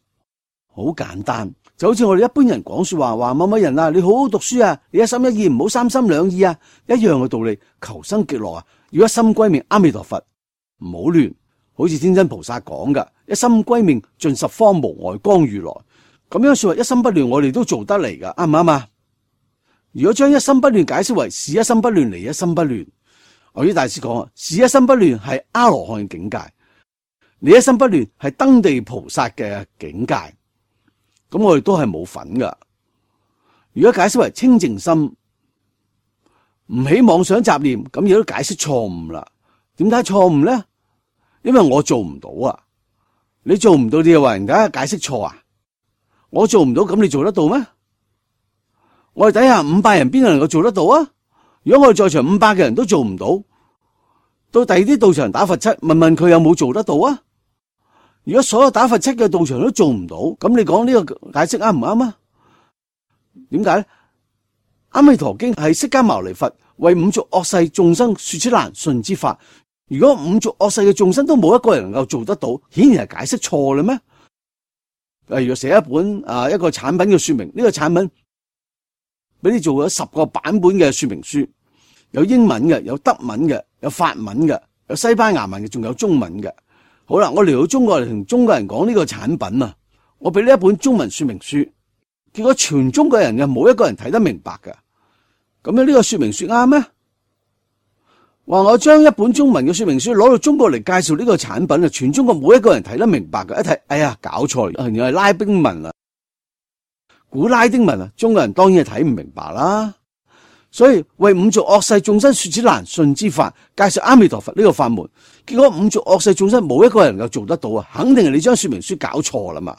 好簡單，就好似我哋一般人講說話某某人你好好讀書你一心一意，唔好三心兩意一樣嘅道理。求生極樂要一心歸命阿彌陀佛，唔好亂。好似天真菩薩講噶，一心歸命盡十方無礙光如來，咁樣說話一心不亂，我哋都做得嚟噶，啱唔啱啊？如果將一心不亂解釋為事一心不亂，離一心不亂，我啲大師講事一心不亂係阿羅漢境界，離一心不亂係登地菩薩嘅境界，咁我哋都係冇份噶。如果解釋為清淨心，唔起妄想雜念，咁亦都解釋錯誤啦。點解錯誤咧？因為我做唔到啊！你做唔到，你又話人家解釋錯啊？我做唔到，咁你做得到咩？我哋底下500人邊個能夠做得到啊？如果我哋在場500嘅人都做唔到，到第二啲道場打佛七，問問佢有冇做得到啊？如果所有打佛七嘅道場都做唔到，咁你講呢個解釋啱唔啱啊？點解咧？阿彌陀經係釋迦牟尼佛為五濁惡世眾生說出難信之法。如果五濁惡世嘅眾生都冇一個人能夠做得到，顯然係解釋錯啦咩？例如寫一本一個產品嘅說明，呢個產品俾你做咗10個版本嘅說明書，有英文嘅，有德文嘅，有法文嘅，有西班牙文嘅，仲有中文嘅。好啦，我嚟到中國嚟同中國人講呢個產品啊，我俾呢一本中文說明書，結果全中國人嘅冇一個人睇得明白嘅。咁樣呢個說明書啱咩？話我將一本中文嘅說明書攞到中國嚟介紹呢個產品啊，全中國冇一個人睇得明白嘅。一睇，哎呀，搞錯，原來係拉丁文啊，古拉丁文啊，中國人當然係睇唔明白啦。所以為五濁惡世眾生說此難信之法，介紹阿彌陀佛呢個法門，結果五濁惡世眾生冇一個人能夠做得到啊，肯定係你將說明書搞錯啦嘛，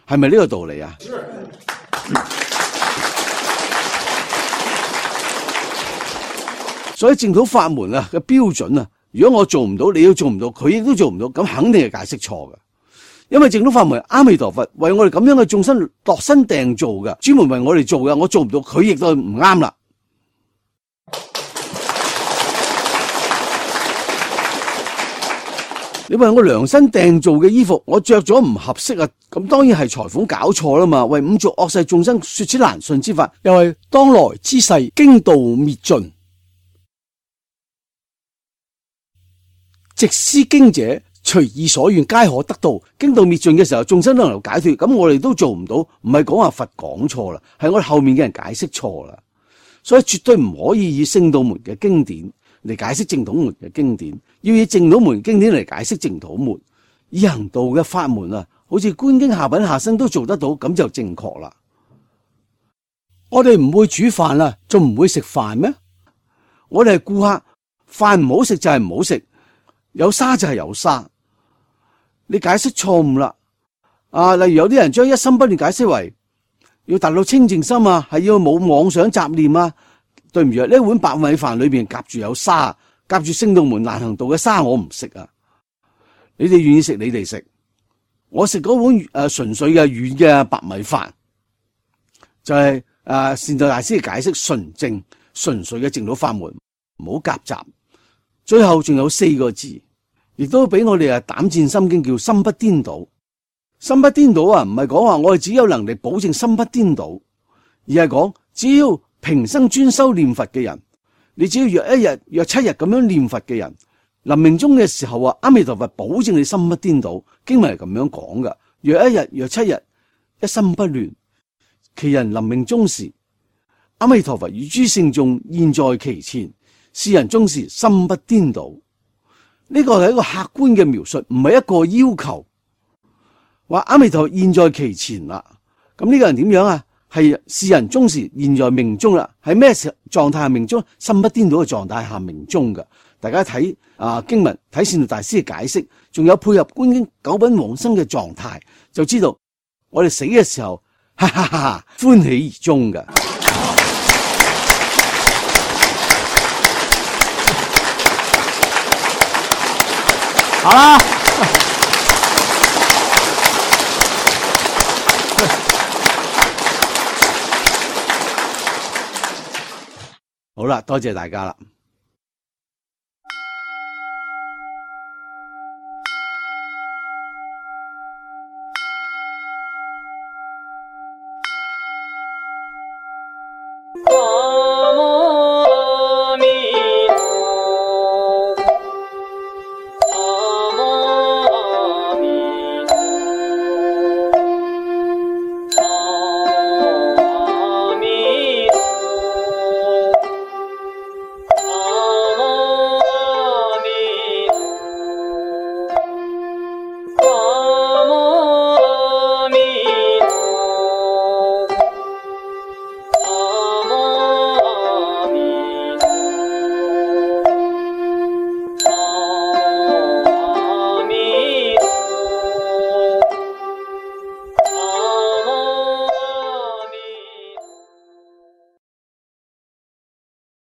係咪呢個道理啊？所以淨土法門啊嘅標準啊，如果我做唔到，你都做唔到，佢亦都做唔到，咁肯定係解釋錯嘅。因為淨土法門阿彌陀佛為我哋咁樣嘅眾生度身訂造嘅，專門為我哋做嘅，我做唔到，佢亦都唔啱啦。你為我量身訂造嘅衣服，我着咗唔合適啊，咁當然係裁縫搞錯啦嘛。為五濁惡世眾生說此難信之法，又係當來之世經道滅盡。直思經者，隨意所願，皆可得到。經道滅盡嘅時候，眾生都能夠解脫。咁我哋都做唔到，唔係講話佛講錯啦，係我哋後面嘅人解釋錯啦。所以絕對唔可以以聖道門嘅經典嚟解釋淨土門嘅經典，要以淨土門經典嚟解釋淨土門。以行道嘅法門啊，好似觀經下品下生都做得到，咁就正確啦。我哋唔會煮飯啦，仲唔會食飯咩？我哋係顧客，飯唔好食就係唔好食。有沙就係有沙，你解釋錯誤啦。例如有啲人將一心不亂解釋為要達到清淨心啊，係要冇妄想雜念啊。對唔住，呢碗白米飯裏邊夾住有沙，夾住聖道門難行道嘅沙，我唔食啊。你哋願意食，你哋食。我食嗰碗純粹嘅軟嘅白米飯，就係善導大師嘅解釋純正純粹嘅淨土法門，唔好夾雜。最後仲有4個字，亦都俾我哋膽戰心經，叫心不顛倒。心不顛倒啊，唔係講話我哋只有能力保證心不顛倒，而係講只要平生專修念佛嘅人，你只要約1日、約7日咁樣念佛嘅人，臨命終嘅時候啊，阿彌陀佛保證你心不顛倒。經文係咁樣講噶，約1日、約7日，一心不亂，其人臨命終時，阿彌陀佛與諸聖眾現在其前。是人終時心不顛倒，呢個係一個客觀嘅描述，唔係一個要求。話阿彌陀佛現在其前啦，咁呢個人點樣啊？係是人終時現在命終啦，喺咩狀態下命終？心不顛倒嘅狀態下命終嘅。大家睇經文，睇善導大師嘅解釋，仲有配合觀經九品往生嘅狀態，就知道我哋死嘅時候，哈哈哈，歡喜而終嘅。好啦，好啦，多謝大家啦。